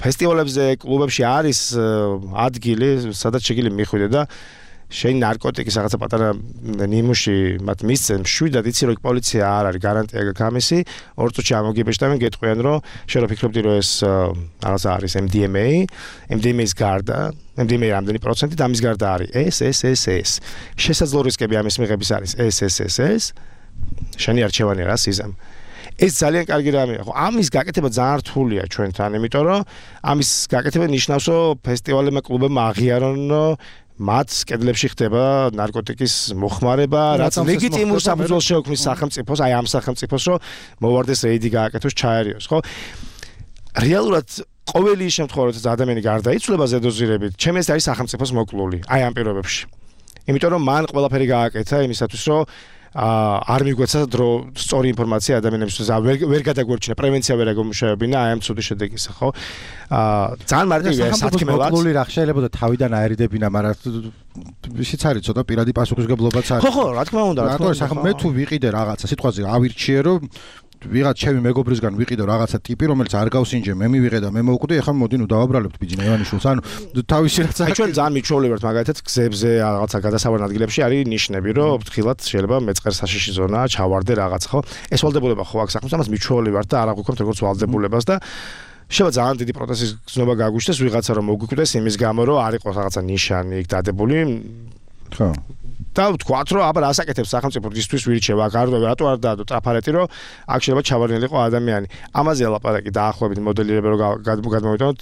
[SPEAKER 2] ფესტივალებზე კლუბებში არის ადგილი სადაც შეგიძლია მიხვიდე და შენ ნარკოტიკის რაღაცა პატარა ნიმუში მათ მისცემ შვიდად იცი რომ პოლიცია არ არის გარანტია გაქვს ამისი ორ წუთში ამოგიბეჭდავენ გეტყვიან რომ შენ რო ფიქრობდი რომ ეს რაღაცა არის M D M A M D M A-ის გარდა M D M A რამდენი პროცენტი და ამის გარდა არის ეს ეს ეს ეს შესაძლო რისკები ამის მიღების არის ეს ეს ეს ეს შენი არჩევანი რა სიზამ ეს ძალიან კარგი რამეა ხო ამის გაკეთება ძალიან რთულია ჩვენთან იმიტომ რომ ამის გაკეთება ნიშნავს რომ ფესტივალებმა კლუბებმა აღიარონ მათ კედლებში ხდება ნარკოტიკის მოხმარება, რაც ლეგიტიმურ საფუძველს შეუქმნის სახელმწიფოს, აი ამ სახელმწიფოს, რომ მოვარდეს რეიდი გააკეთოს, ჩაერიოს, ხო? რეალურად ყოველი შემთხვევა, როდესაც ადამიანი გარდაიცვლება ზედოზირებით, ჩემს ეს არის სახელმწიფოს მოკლული, აი ამ პირობებში. იმიტომ რომ მან ყველაფერი გააკეთა იმისათვის, რომ არ მიგვეცა დრო სწორი ინფორმაცია ადამიანებისთვის ვერ გადაგვერჩინა პრევენცია ვერ აგომუშავებინა აი ამ ცუდი შედეგისა ხო აა ძალიან მარტივია სათქმელად
[SPEAKER 1] მოკლული რა შეიძლება და თავიდან აერიდებინა მაგრამ ისიც არის ცოტა პირადი პასუხისგებლობაც არის
[SPEAKER 2] ხო ხო რა თქმა უნდა
[SPEAKER 1] რა თქმა უნდა მე თუ ვიყიდე რაღაცა სიტყვაზე ავირჩიე რომ ვიღაც ჩემი მეგობრისგან ვიყიდე რაღაცა ტიპი რომელიც არ გავს ინჯე მე მივიღე და მე მოვკვდი ეხლა მოდი ნუ დავაბრალებთ ბიჯინა ივანიშვილს ანუ თავისი რაც
[SPEAKER 2] აი ჩვენ ძალიან მიჩვეული ვართ მაგალითად გზებზე რაღაცა გადასავალი ადგილებში არის ნიშნები რომ ფრთხილად შეიძლება მეწყერ საშიში ზონაა ჩავარდე რაღაც ხო ეს ვალდებულება ხო აქვს ახლა ამას მიჩვეული ვართ და არ აღვიქვამთ როგორც ვალდებულებას და შევა ძალიან დიდი პროტესტის გზნობა გაგვიშდეს ვიღაცა რომ მოგვიკვდეს იმის გამო რომ არ იყოს რაღაცა ნიშანი იქ დადებული
[SPEAKER 1] ხო
[SPEAKER 2] და ვთქვათ რომ აბა რასაკეთებს სახელმწიფო ისთვის ვირჩევა აქ არ რატო არ დაადო ტრაფარეტი რომ აქ შეიძლება ჩავარდნილიყო ადამიანი ამაზე ლაპარაკი დაახლოებით მოდელირება რომ გადმოვიტანოთ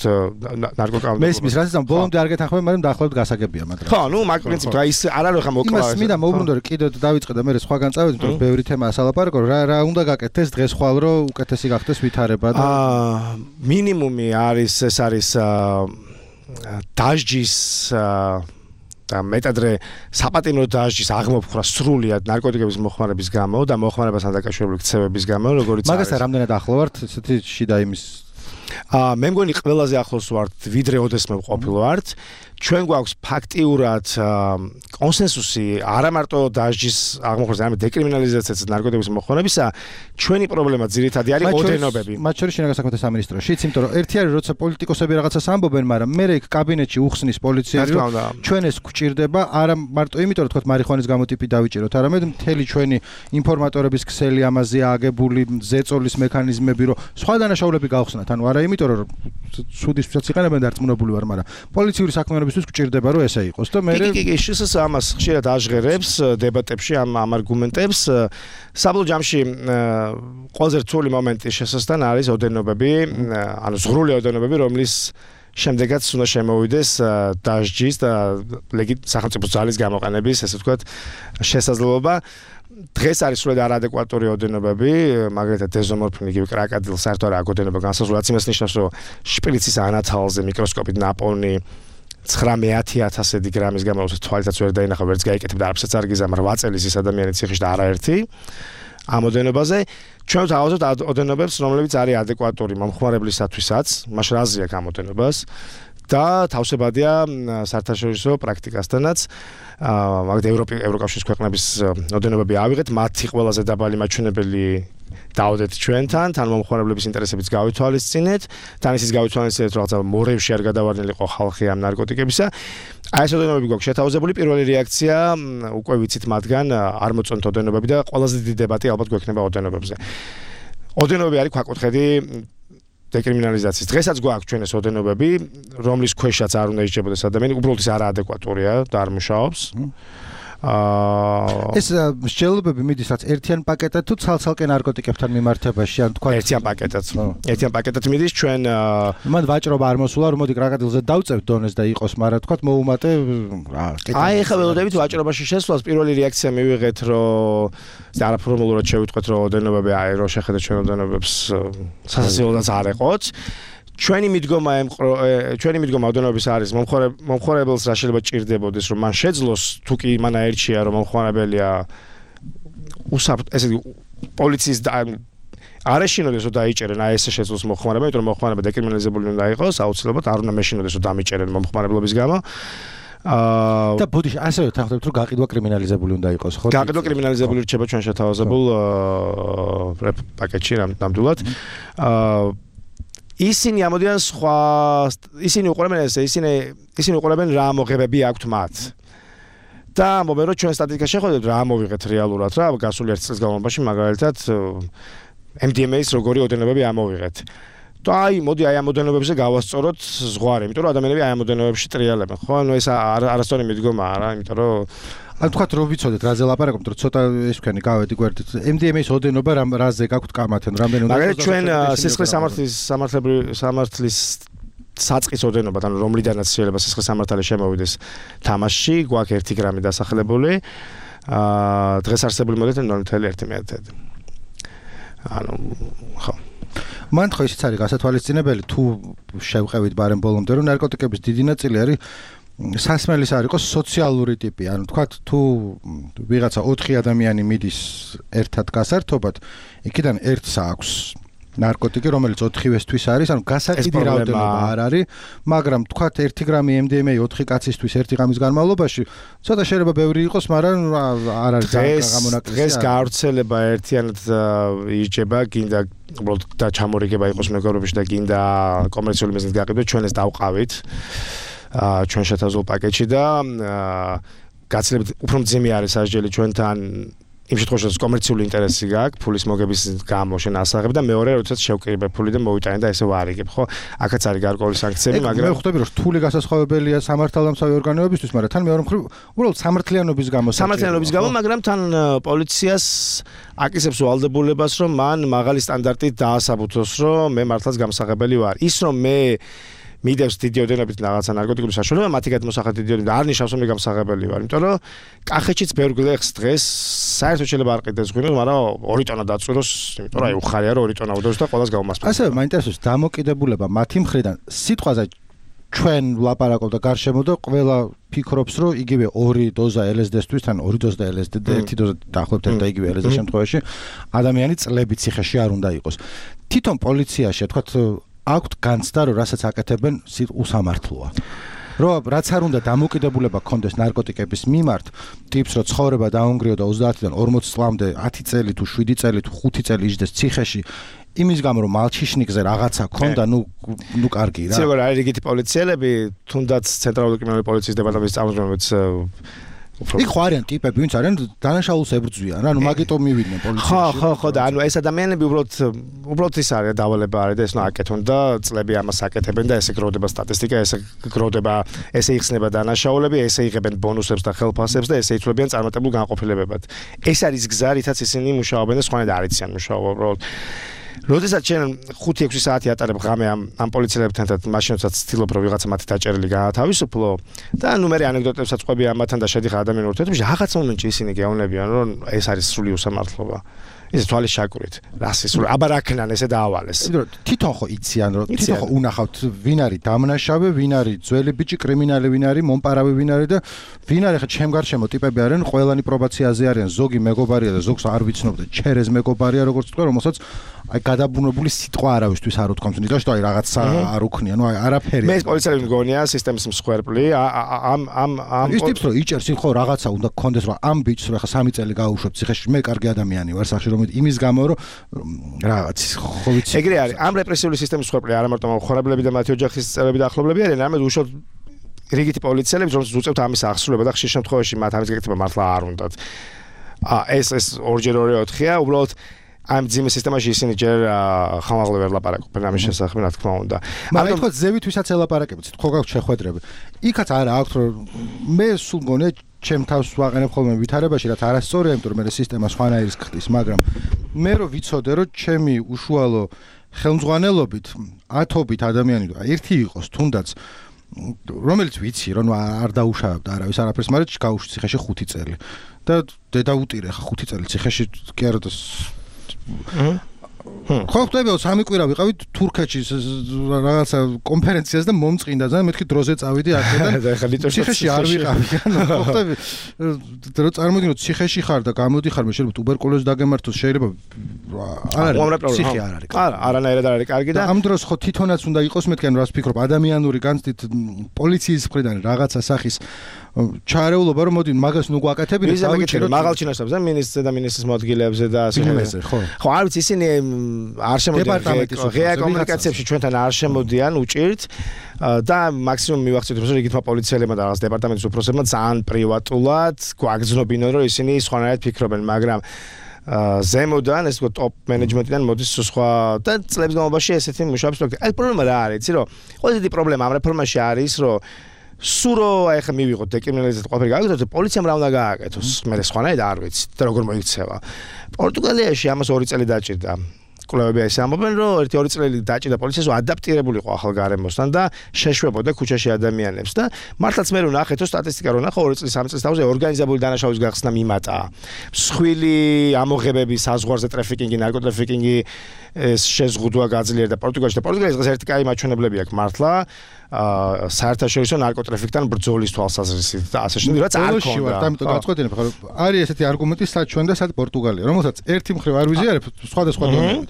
[SPEAKER 2] ნარკოკამერა
[SPEAKER 1] მე ისმის რასაც ამ ბოლომდე არ გეთანხმები მაგრამ დაახლოებით გასაგებია მაგრამ
[SPEAKER 2] ხო ნუ მაგ პრინციპი აი ის არ არის ხა მოკლა
[SPEAKER 1] იმას მინდა მოუბრუნდე რომ კიდევ დავიწყე და მე სხვაგან წავედი თორე ბევრი თემაა სალაპარაკო რა რა უნდა გაკეთდეს დღეს ხვალ რომ უკეთესი გახდეს ვითარება და
[SPEAKER 2] აა მინიმუმი არის ეს არის დაჟჯის და მეტადრე საპატიმრო დაჟჯის აღმოფხვრა სრულიად ნარკოტიკების მოხმარების გამო და მოხმარებასთან დაკავშირებული ქცევების გამო როგორიც არის
[SPEAKER 1] მაგასთან რამდენად ახლო ვართ ესეთი შიდა იმის
[SPEAKER 2] აა მე მგონი ყველაზე ახლოს ვართ ვიდრე ოდესმე ვყოფილ ვართ ჩვენ გვაქვს ფაქტიურად კონსენსუსი არა მარტო დაჟჯის აღმოფხვრაზე არამედ დეკრიმინალიზაციაც ნარკოტიკების მოხმარებისა ჩვენი პრობლემა ძირითადი არის ოდენობები
[SPEAKER 1] მათ შორის შინაგან საქმეთა სამინისტროშიც იმიტომ რომ ერთი არის როცა პოლიტიკოსები რაღაცას ამბობენ მაგრამ მე იქ კაბინეტში უხსნის პოლიცია რომ ჩვენ ეს გვჭირდება არა მარტო იმიტომ რომ თქვათ მარიხუანის გამოტიპი დავიჭიროთ არამედ მთელი ჩვენი ინფორმატორების ქსელი ამაზე აგებული ზეწოლის მექანიზმები რომ სხვა დანაშაულები გავხსნათ ანუ არა იმიტომ რომ სუდისთვისაც იყენებენ დარწმუნებული ვარ მაგრამ პოლიციური საქმიანობისთვის გვჭირდება რომ ესე იყოს და მე
[SPEAKER 2] კი კი შეს ამას ხშირად აჟღერებს დებატებში ამ ამ არგუმენტებს საბოლოო ჯამში ყველაზე რთული მომენტი შესასთან არის ოდენობები ანუ ზღრული ოდენობები რომლის შემდეგაც უნდა შემოვიდეს დაჟჯის და სახელმწიფო ძალის გამოყენების ესე ვთქვათ შესაძლებლობა დღეს არის სულად არადეკვატური ოდენობები, მაგალითად დეზომორფინი, იგივე კრაკადილ საერთოდ არ აგოდენობა განსაზღვრად იმას ნიშნავს, რომ შპრიცის ანათალზე მიკროსკოპით ნაპოვნი ცხრამეტი ათასი გრამის გამოსვლის თვალითაც ვერ დაინახა, ვერც გაიკეთებდა არაფერს არ გიზამ, რვა წელი ის ადამიანი ციხეში და არაერთი ამ ოდენობაზე ჩვენ თავაზობთ ოდენობებს, რომლებიც არის ადეკვატური მომხმარებლისათვისაც, მაშ რაზეა აქ ამ ოდენობას და თავსებადია საერთაშორისო პრაქტიკასთანაც მაგალითად ევროპის ევროკავშირის ქვეყნების ოდენობები ავიღეთ, მათი ყველაზე დაბალი მაჩვენებელი დავდეთ ჩვენთან, თან მომხმარებლების ინტერესებიც გავითვალისწინეთ, თან ისიც გავითვალისწინეთ, რომ რაღაცა მორევში არ გადავარდნილიყო ხალხი ამ ნარკოტიკებისა. აი ეს ოდენობები გვაქვს შეთავაზებული, პირველი რეაქცია უკვე ვიცით მათგან არ მოწონთ ოდენობები და ყველაზე დიდი დებატი ალბათ გვექნება ოდენობებზე. ოდენობები არის ქვაკუთხედი დეკრიმინალიზაციის. დღესაც გვაქვს ჩვენ ეს ოდენობები, რომლის ქვეშაც არ უნდა ისჯებოდეს ადამიანი, უბრალოდ ის არაადეკვატურია და არ მუშაობს. აა
[SPEAKER 1] ეს მსჯელობები მიდის რაც ერთიან პაკეტად თუ ცალ-ცალკე ნარკოტიკებთან მიმართებაში, ან თქვა
[SPEAKER 2] ერთიან პაკეტად. ერთიან პაკეტად მიდის ჩვენ
[SPEAKER 1] მან ვაჭრობა არ მოსულა, რომ მოდი კრაკადილზე დავწევთ დონეს და იყოს, მაგრამ თქვა მოუმატე რა.
[SPEAKER 2] აი ახლა ველოდებით ვაჭრობაში შესვლას პირველი რეაქცია მივიღეთ, რომ არაფორმულურად შევიტყვეთ, რომ ოდენობები აი რომ შეხედეთ ჩვენ ოდენობებს სასაცილოდაც არ ეყოთ. ჩვენი მიდგომა ჩვენი მიდგომა ოდენობების არის მომხმარებელს რა შეიძლება ჭირდებოდეს რომ მან შეძლოს თუ კი მან აერჩია რომ მომხმარებელია ესე პოლიციის არ ეშინოდეს რომ დაიჭერენ აი ესე შეძლოს მომხმარებელს იმიტომ რომ მომხმარებელი დეკრიმინალიზებული უნდა იყოს აუცილებლად არ უნდა მეშინოდეს რომ დამიჭერენ მომხმარებლობის გამო აა
[SPEAKER 1] და ბოდიში ასევე თანხმობთ რომ გაყიდვა კრიმინალიზებული უნდა იყოს ხო?
[SPEAKER 2] გაყიდვა კრიმინალიზებული რჩება ჩვენ შეთავაზებულ პაკეტში ნამდვილად. აა ისინი ამოდიან სხვა ისინი უყურებენ ესე ისინი ისინი უყურებენ რა მოგებები აქვთ მათ. და ამბობენ რომ ჩვენ სტატისტიკა შეხვედრით რა ამოვიღეთ რეალურად რა გასული ერთი წლის განმავლობაში მაგალითად M D M A-ის როგორი ოდენობები ამოვიღეთ. და აი მოდი აი ამ ოდენობებზე გავასწოროთ ზღვარი, იმიტომ რომ ადამიანები აი ამ ოდენობებში ტრიალებენ, ხო? ანუ ეს არასწორი მიდგომაა რა, იმიტომ რომ
[SPEAKER 1] ან თქვათ რომ ვიცოდეთ რაზე ლაპარაკობთ, რომ ცოტა ეს თქვენი გავედი გვერდით. M D M A-ის ოდენობა რაზე გაქვთ კამათენ, რამდენი უნდა
[SPEAKER 2] მაგალითად ჩვენ სისხლის სამართლის სამართლებრივი სამართლის საწყის ოდენობა, ანუ რომლიდანაც შეიძლება სისხლის სამართალი შემოვიდეს თამაშში, გვაქვს ერთი გრამი დასახლებული. აა დღეს არსებული მოდით ნოლ ნული ერთი მეტად. ანუ ხო.
[SPEAKER 1] მან ხო ისიც არის გასათვალისწინებელი თუ შევყევით ბარემ ბოლომდე რომ ნარკოტიკების დიდი ნაწილი არის სასმელის არ იყოს სოციალური ტიპი. ანუ თქვათ თუ ვიღაცა ოთხი ადამიანი მიდის ერთად გასართობად, იქიდან ერთს აქვს ნარკოტიკი, რომელიც ოთხივესთვის არის, ანუ გასაყიდი რაოდენობა არ არის, მაგრამ თქვათ ერთი გრამი M D M A ოთხი კაცისთვის ერთი ღამის განმავლობაში, ცოტა შეიძლება ბევრი იყოს, მაგრამ არ არის გამონაკლისი.
[SPEAKER 2] დღეს გავრცელება ერთიანად ირჩება, გინდა უბრალოდ და ჩამორიგება იყოს მეგობრებში და გინდა კომერციული მიზნით გაყიდვა, ჩვენ ეს დავყავით. აა ჩვენ შეთავაზულ პაკეტში და გაცილებით უფრო მძიმე არის სასჯელი ჩვენთან იმ შემთხვევაში რომ კომერციული ინტერესი გაქვს, ფულის მოგების გამო შენ ასაღებ და მეორე როდესაც შევკრიბებ ფული და მოვიტანე და ესე ვარიგებ, ხო? აქაც არის გარკვეული სანქციები, მაგრამ
[SPEAKER 1] მე ხვდები რომ რთული გასასხვავებელია სამართალდამცავი ორგანოებისთვის, მაგრამ თან მეორე მხრივ უბრალოდ სამართლიანობის გამო
[SPEAKER 2] სამართლიანობის გამო, მაგრამ თან პოლიციას აკისებს ვალდებულებას, რომ მან მაღალი სტანდარტით დაასაბუთოს, რომ მე მართლაც გამსაღებელი ვარ. ის რომ მე მიდევს დიდი ოდენობით რაღაცა ნარკოტიკული საშუალება, მათი გადმოსახად დიდი ოდენობით არ ნიშნავს რომ მე გამსაღებელი ვარ, იმიტომ რომ კახეთშიც ბევრ გლეხს დღეს საერთოდ შეიძლება არ ყიდეს ღვინოს, მაგრამ ორი ტონა დაწვიროს, იმიტომ რომ აი უხარია რომ ორი ტონა უდევს და ყველას გაუმასპინძლებს.
[SPEAKER 1] ასევე მაინტერესებს დამოკიდებულება მათი მხრიდან სიტყვაზე ჩვენ ვლაპარაკობ და გარშემო და ყველა ფიქრობს რომ იგივე ორი დოზა L S D-ისთვის თან ორი დოზა L S D და ერთი დოზა დაახლოებით ერთ და იგივე L S D შემთხვევაში ადამიანი წლებით ციხეში არ უნდა იყოს. თვითონ პოლიციაში თქვათ აქვთ განცდა რომ რასაც აკეთებენ უსამართლოა. რომ რაც არ უნდა დამოკიდებულება ქონდეს ნარკოტიკების მიმართ, ტიპს რომ ცხოვრება დაუნგრიო და ოცდაათიდან ორმოცი წლამდე ათი წელი თუ შვიდი წელი თუ ხუთი წელი იჯდეს ციხეში, იმის გამო რომ მალჩიშნიკზე რაღაცა ქონდა, ნუ ნუ კარგი რა.
[SPEAKER 2] იცი როგორ არის რიგითი პოლიციელები, თუნდაც ცენტრალური კრიმინალური პოლიციის დეპარტამენტის წარმომადგენლებს
[SPEAKER 1] იქ ხო არიან ტიპები, ვინც არიან დანაშაულს ებრძვიან, რა, ნუ მაგიტომ მივიდნენ პოლიციაში.
[SPEAKER 2] ხო, ხო, ხო და ანუ ეს ადამიანები უბრალოდ უბრალოდ ის არის დავალება არის და ეს ნუ აკეთონ და წლები ამას აკეთებენ და ესე გროვდება სტატისტიკა, ესე გროვდება, ესე იხსნება დანაშაულები, ესე იღებენ ბონუსებს და ხელფასებს და ესე იცვლებიან წარმატებულ განყოფილებებად. ეს არის გზა, რითაც ისინი მუშაობენ და სხვანაირად არ იციან მუშაობა უბრალოდ. როდესაც ჩვენ ხუთი ექვსი საათი ატარებ ღამე ამ ამ პოლიციელებთან და მაშინაც ცდილობ რომ ვიღაცა მათი დაჭერილი გაათავისუფლო და ნუ მე ანეკდოტებსაც ყვები ამათთან და შედიხარ ადამიანურ ურთიერთობაში რაღაც მომენტში ისინი გეუბნებიან რომ ეს არის სრული უსამართლობა. ეს თვალის შაკურით. რასის სრული აბა რაკნან ესე დაავალეს.
[SPEAKER 1] თვითონ ხო იციან რომ თვითონ ხო უნახავთ ვინ არის დამნაშავე, ვინ არის ძველი ბიჭი, კრიმინალი ვინ არის, მომპარავი ვინ არის და ვინ არის ხა ჩემ გარშემო ტიპები არიან, ყველანი პრობაციაზე არიან, ზოგი მეგობარია და ზოგს არ ვიცნობ და ჩერეს მეგობარია როგორც თქვა, რომელსაც აი გადაბუნებული სიტყვა არავისთვის არ უთქვამს, იმიტომ რომ აი რაღაცა არ უქნია, ნუ აი არაფერი.
[SPEAKER 2] მე ეს პოლიციელი მგონია სისტემის მსხვერპლი, ამ ამ ამ
[SPEAKER 1] ის ტიპს რომ იჭერს ხო რაღაცა უნდა გქონდეს რომ ამ ბიჭს რომ ხა სამი წელი გაუშვებ ციხეში, მე კარგი ადამიანი ვარ სახში რომ იმის გამო რომ რაღაც ხო ვიცი.
[SPEAKER 2] ეგრე არის, ამ რეპრესიული სისტემის მსხვერპლი არა მარტო მოხარებლები და მათი ოჯახის წევრები და ახლობლები არიან, არამედ უშუალოდ რიგითი პოლიციელები, რომელსაც უწევთ ამის აღსრულება და ხშირ შემთხვევაში მათ ამის გაკეთება მართლა არ უნდათ. აა ეს ეს ორჯერ ორი ოთხია, უბრალოდ ამ ძიმე სისტემაში ისინი ჯერ ხამაღლა ვერ ლაპარაკობენ ამის შესახებ, რა თქმა უნდა.
[SPEAKER 1] მაგრამ თქო ზევითვისაც ელაპარაკებთ, ხო გაქვთ შეხვედრები. იქაც არა აქვს რომ მე სულ მგონია ჩემ თავს ვაყენებ ხოლმე ვითარებაში, რაც არასწორია, იმიტომ რომ მე სისტემა სხვანაირის ხდის, მაგრამ მე რო ვიცოდე რომ ჩემი უშუალო ხელმძღვანელობით ათობით ადამიანი ერთი იყოს თუნდაც რომელიც ვიცი რომ არ დაუშავებდა არავის არაფერს, მაგრამ გაუშვი ციხეში ხუთი წელი და დედა უტირე ხა ხუთი წელი ციხეში კი არა და ხო ხტებიო სამი კვირა ვიყავით თურქეთში რაღაცა კონფერენციას და მომწყინდა ძალიან მეთქი დროზე წავიდი აქედან ციხეში არ ვიყავი ანუ ხო ხტები რო წარმოგიდგენთ ციხეში ხარ და გამოდიხარ მე შეიძლება ტუბერკულოზი დაგემართოს შეიძლება არ არის ციხე არ არის
[SPEAKER 2] არა არანაირად არ არის კარგი და
[SPEAKER 1] ამ დროს ხო თვითონაც უნდა იყოს მეთქი ანუ რას ფიქრობ ადამიანური განცდით პოლიციის მხრიდან რაღაცა სახის ჩარეულობა რომ მოდი მაგას ნუ გვაკეთებინეთ
[SPEAKER 2] დავიჭიროთ მაღალ ჩინაშებს და მინისტრზე და ministrs მოადგილეებზე და ასე
[SPEAKER 1] ხო
[SPEAKER 2] ხო არ ვიცი ისინი არ შემოდიან ღია კომუნიკაციებში ჩვენთან არ შემოდიან უჭირთ და მაქსიმუმ მივახცევთ რომ რიგითმა პოლიციელებმა და რაღაც დეპარტამენტის უფროსებმა ძალიან პრივატულად გვაგზნობინონ რომ ისინი სხვანაირად ფიქრობენ მაგრამ ზემოდან ეს ტოპ მენეჯმენტიდან მოდის სხვა და წლების განმავლობაში ესეთი მუშაობს აი პრობლემა რა არის იცი რომ ყველაზე დიდი პრობლემა ამ რეფორმაში არის რომ სურო აი ხა მივიღოთ დეკრიმინალიზაციას ყველაფერი გააკეთოთ პოლიციამ რა უნდა გააკეთოს მე სხვანაირად არ ვიცი და როგორ მოიქცევა პორტუგალიაში ამას ორი წელი დაჭირდა კვლევები ეს ამბობენ რომ ერთი ორი წელი დაჭირდა პოლიციას რომ ადაპტირებულიყო ახალ გარემოსთან და შეშვებოდა ქუჩაში ადამიანებს და მართლაც მე რო ნახეთ რომ სტატისტიკა რო ნახო ორი წელი სამი წლის თავზე ორგანიზებული დანაშაულის გახსნა მიმატა მსხვილი ამოღებები საზღვარზე ტრაფიკინგი ნარკოტრაფიკინგი ეს შეზღუდვა გაძლიერდა პორტუგალში და პორტუგალიის დღეს ერთი კაი მაჩვენებლები აქვს მართლა აა საერთაშორისო ნარკოტრაფიკთან ბრძოლის თვალსაზრისით და ასე შემდეგ რაც არ ქონდა.
[SPEAKER 1] ამიტომ გავწყვეტინებ ხარ არის ესეთი არგუმენტი სად ჩვენ და სად პორტუგალია რომელსაც ერთი მხრივ არ ვიზიარებ სხვადასხვა დონეებით.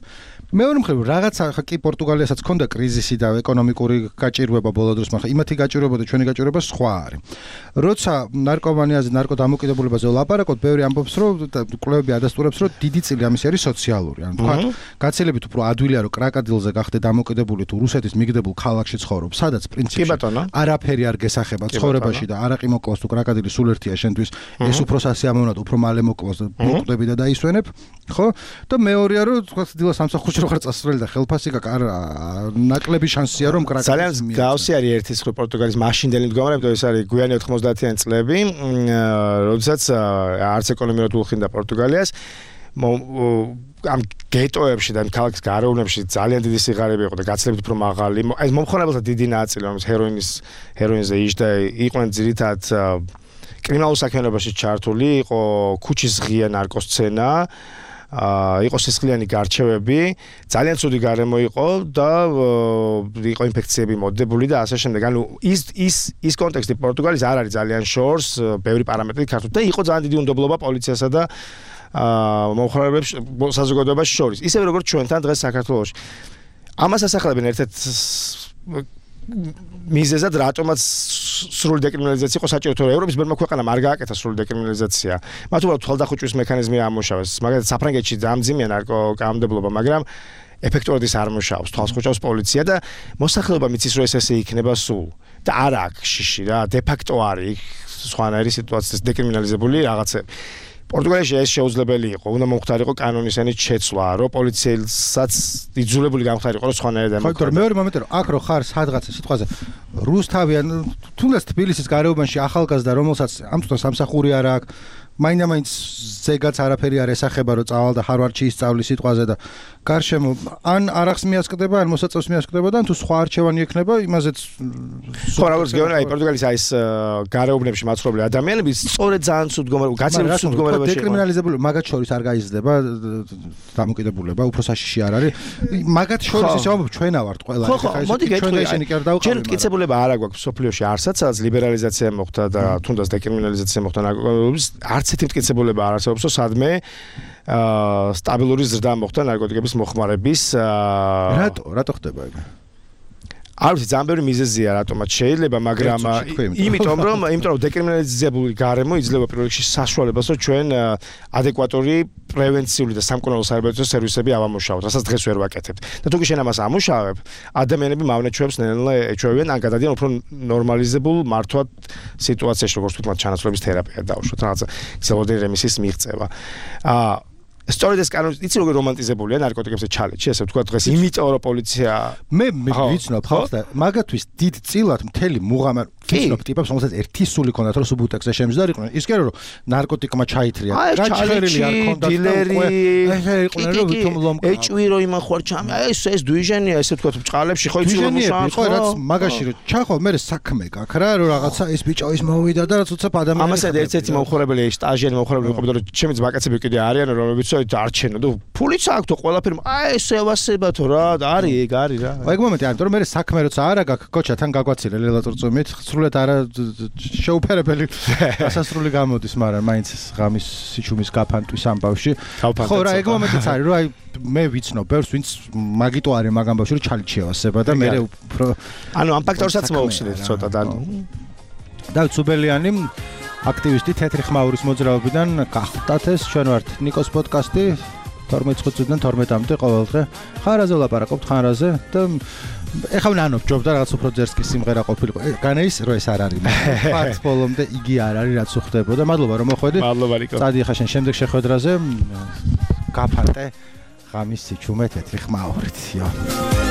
[SPEAKER 1] მეორე მხრივ რაღაცა ხა კი პორტუგალიასაც ქონდა კრიზისი და ეკონომიკური გაჭირვება ბოლო დროს მაგრამ იმათი გაჭირვება და ჩვენი გაჭირვება სხვა არის. როცა ნარკომანიაზე ნარკოდამოკიდებულებაზე ვლაპარაკობთ, ბევრი ამბობს რომ კვლევები ადასტურებს რომ დიდი წილი ამისი არის სოციალური. ანუ თქვა გაცილებით უფრო ადვილია რომ კრაკადილზე გახდე დამოკიდებული თუ რუსეთის მიგდებულ ქალაქში ცხოვრობ, სადაც პრინციპში არაფერი არ გესახება ცხოვრებაში და არაყი მოკლოს თუ კრაკადილი სულ ერთია შენთვის ეს უფრო სასიამოვნოა უფრო მალე მოკლოს და მოკვდები და დაისვენებ, ხო? და მეორეა რომ თქვა დილას სამსახურში რო ხარ წასვლელი და ხელფასი ნაკლები შანსია რომ კრაკადილს
[SPEAKER 2] ძალიან გავსი არის ერთის ხო პორტუგალის მაშინდელი მდგომარეობა ეს არის გვიანი ოთხმოცდაათიანი წლები, როდესაც არც ეკონომიურად უხინდა პორტუგალიას ამ გეტოებში და ქალაქის გარეუბნებში ძალიან დიდი სიღარიბე იყო და გაცილებით უფრო მაღალი. ეს მომხმარებელთა დიდი ნაწილი, რომელიც ჰეროინის ჰეროინზე იჯდა, იყვნენ ძირითადად კრიმინალურ საქმიანობაში ჩართული, იყო ქუჩის ღია ნარკოსცენა, იყო სისხლიანი გარჩევები, ძალიან ცუდი გარემო იყო და იყო ინფექციები მოდებული და ასე შემდეგ. ანუ ის ის ის კონტექსტი პორტუგალის არ არის ძალიან შორს, ბევრი პარამეტრი ქართულ და იყო ძალიან დიდი უნდობლობა პოლიციასა და აა მომხმარებლებს საზოგადოებაში შორის. ისევე როგორც ჩვენთან დღეს საქართველოში. ამას ასახელებენ ერთ-ერთ მიზეზად რატომაც სრული დეკრიმინალიზაცია იყო საჭირო, თორე ევროპის ბევრმა ქვეყანამ არ გააკეთა სრული დეკრიმინალიზაცია. მათ უბრალოდ თვალდახუჭვის მექანიზმი ამუშავეს. მაგალითად საფრანგეთში დამძიმია ნარკოკამდებლობა, მაგრამ ეფექტურად ის არ მუშაობს. თვალს ხუჭავს პოლიცია და მოსახლეობა მიცის რომ ეს ესე იქნება სულ. და არა აქ შიში რა, დე ფაქტო არის სხვანაირი სიტუაციის დეკრიმინალიზებული რაღაცები. პორტუგალიაში ეს შეუძლებელი იყო, უნდა მომხდარიყო კანონისენით შეცვლა, რომ პოლიციელსაც იძულებული გამხდარიყო, რომ სხვანაირად ემოქმედა.
[SPEAKER 1] ხო, მეორე მომენტი რომ აქ რო ხარ სადღაცა სიტყვაზე რუსთავიან, თუნდაც თბილისის გარეუბანში ახალგაზრდა, რომელსაც ამ წუთას სამსახური არ აქვს, მაინდა-მაინც ზეგაც არაფერი არ ესახება, რომ წავალ და ჰარვარდში ისწავლის სიტყვაზე და გარშემო ან არახს მიასკდება, ან მოსაწევს მიასკდება და თუ სხვა არჩევანი ექნება, იმაზეც
[SPEAKER 2] ხო, როგორც გეუბნები, აი პორტუგალის აი ეს გარეუბნებში მაცხოვრებელი ადამიანები სწორედ ძალიან ცუდ მდგომარეობაში, გაცილებით ცუდ მდგომარეობაში იყო.
[SPEAKER 1] დეკრიმინალიზებული მაგათ შორის არ გაიზრდება დამოკიდებულება, უფრო საშიში არ არის. მაგათ შორის ისე ამბობ ჩვენა ვართ ყველა.
[SPEAKER 2] ხო, ხო, მოდი გეტყვი, ისინი კი არ დავყავი. ჩვენ მტკიცებულება არ აქვს სოფლიოში არსად, სადაც ლიბერალიზაცია მოხდა და თუნდაც დეკრიმინალიზაცია მოხდა ნარკოტიკების არც ერთი მტკიცებულება არ არსებობს, რომ სადმე აა სტაბილური ზრდა მოხდა ნარკოტიკების მოხმარების
[SPEAKER 1] რატო რატო ხდება ეგ?
[SPEAKER 2] არ ვიცი, ძალიან ბევრი მიზეზია რატომაც შეიძლება, მაგრამ იმიტომ რომ იმიტომ რომ დეკრიმინალიზებული გარემო იძლევა პირველ რიგში საშუალებას, რომ ჩვენ ადეკვატური პრევენციული და სამკურნალო საერთაშორისო სერვისები ავამუშავოთ, რასაც დღეს ვერ ვაკეთებთ. და თუ კი შენ ამას ამუშავებ, ადამიანები მავნეჩვევებს ნელ-ნელა ეჩვევიან, ან გადადიან უფრო ნორმალიზებულ მართვად სიტუაციაში, როგორც თვითონ ჩანაცვლების თერაპია დავუშვათ, რაღაცა გზელოდერი რემისის მიღწევა. აა სწორედ ეს კანონი იცი როგორ რომანტიზებულია ნარკოტიკებზე ჩალეთში, ესე ვთქვა დღეს, იმიტომ რომ პოლიცია
[SPEAKER 1] მე ვიცნობ ხალხს და მაგათთვის დიდ წილად მთელი მუღამარ ვიცნობ ტიპებს, რომელსაც ერთი სული ჰქონდათ, რომ სუბუტექსზე შემზდარიყვნენ. ის კი არა, რომ ნარკოტიკმა ჩაითრია.
[SPEAKER 2] გაჩხერილი არ ჰქონდათ დილერი.
[SPEAKER 1] ესე იყვნენ, რომ ვითომ ლომკა.
[SPEAKER 2] ეჭვირო იმან ხوار ჩამი. აი ეს ეს დვიჟენია, ესე თქვა ბჭყალებში ხო იცი რომ
[SPEAKER 1] მუშაობს. ხო, რაც მაგაში რომ ჩახვალ, მე საქმე გაქვს რა, რომ რაღაცა ეს ბიჭო ის მოვიდა და რაც უცებ ადამიანი.
[SPEAKER 2] ამასაც ერთ-ერთი მომხურებელი, სტაჟიერი მომხურებელი ყოფილა, რომ ჩემი ძმაკაცები კიდე არიან, რომლებიც არჩენო და ფულიც აქვს თუ ყველაფერი. აი ეს ევასებათო რა, არის ეგ არის რა.
[SPEAKER 1] აი ეგ მომენტი არის, რომ მე საქმე როცა არა გაქვს, კოჩა თან გაგვაცილე ლელატორწომით, სრულად არა შეუფერებელი დასასრული გამოდის, მაგრამ მაინც ღამის სიჩუმის გაფანტვის ამბავში. ხო რა, ეგ მომენტიც არის, რომ აი მე ვიცნობ ბევრს, ვინც მაგიტო არის მაგ ამბავში, რომ ჩალიჩევასება და მე უფრო
[SPEAKER 2] ანუ ამ ფაქტორსაც მოუხსნით ცოტა და
[SPEAKER 1] დავით სუბელიანი აქტივისტი თეთრი ხმაურის მოძრაობიდან გახდათ ეს ჩვენ ვართ ნიკოს პოდკასტი თორმეტ წუთიდან თორმეტამდე ყოველდღე ხარაზე ვლაპარაკობთ ხარაზე და ეხლა ვნანობ ჯობდა რაღაც უფრო ძერსკი სიმღერა ყოფილიყო განეის რო ეს არ არის ფაქტ ბოლომდე იგი არ არის რაც უხდებოდა მადლობა რომ მოხვედი
[SPEAKER 2] მადლობა რიკო
[SPEAKER 1] წადი ხა შენ შემდეგ შეხვედრაზე გაფანტე ღამის სიჩუმე თეთრი ხმაურით იო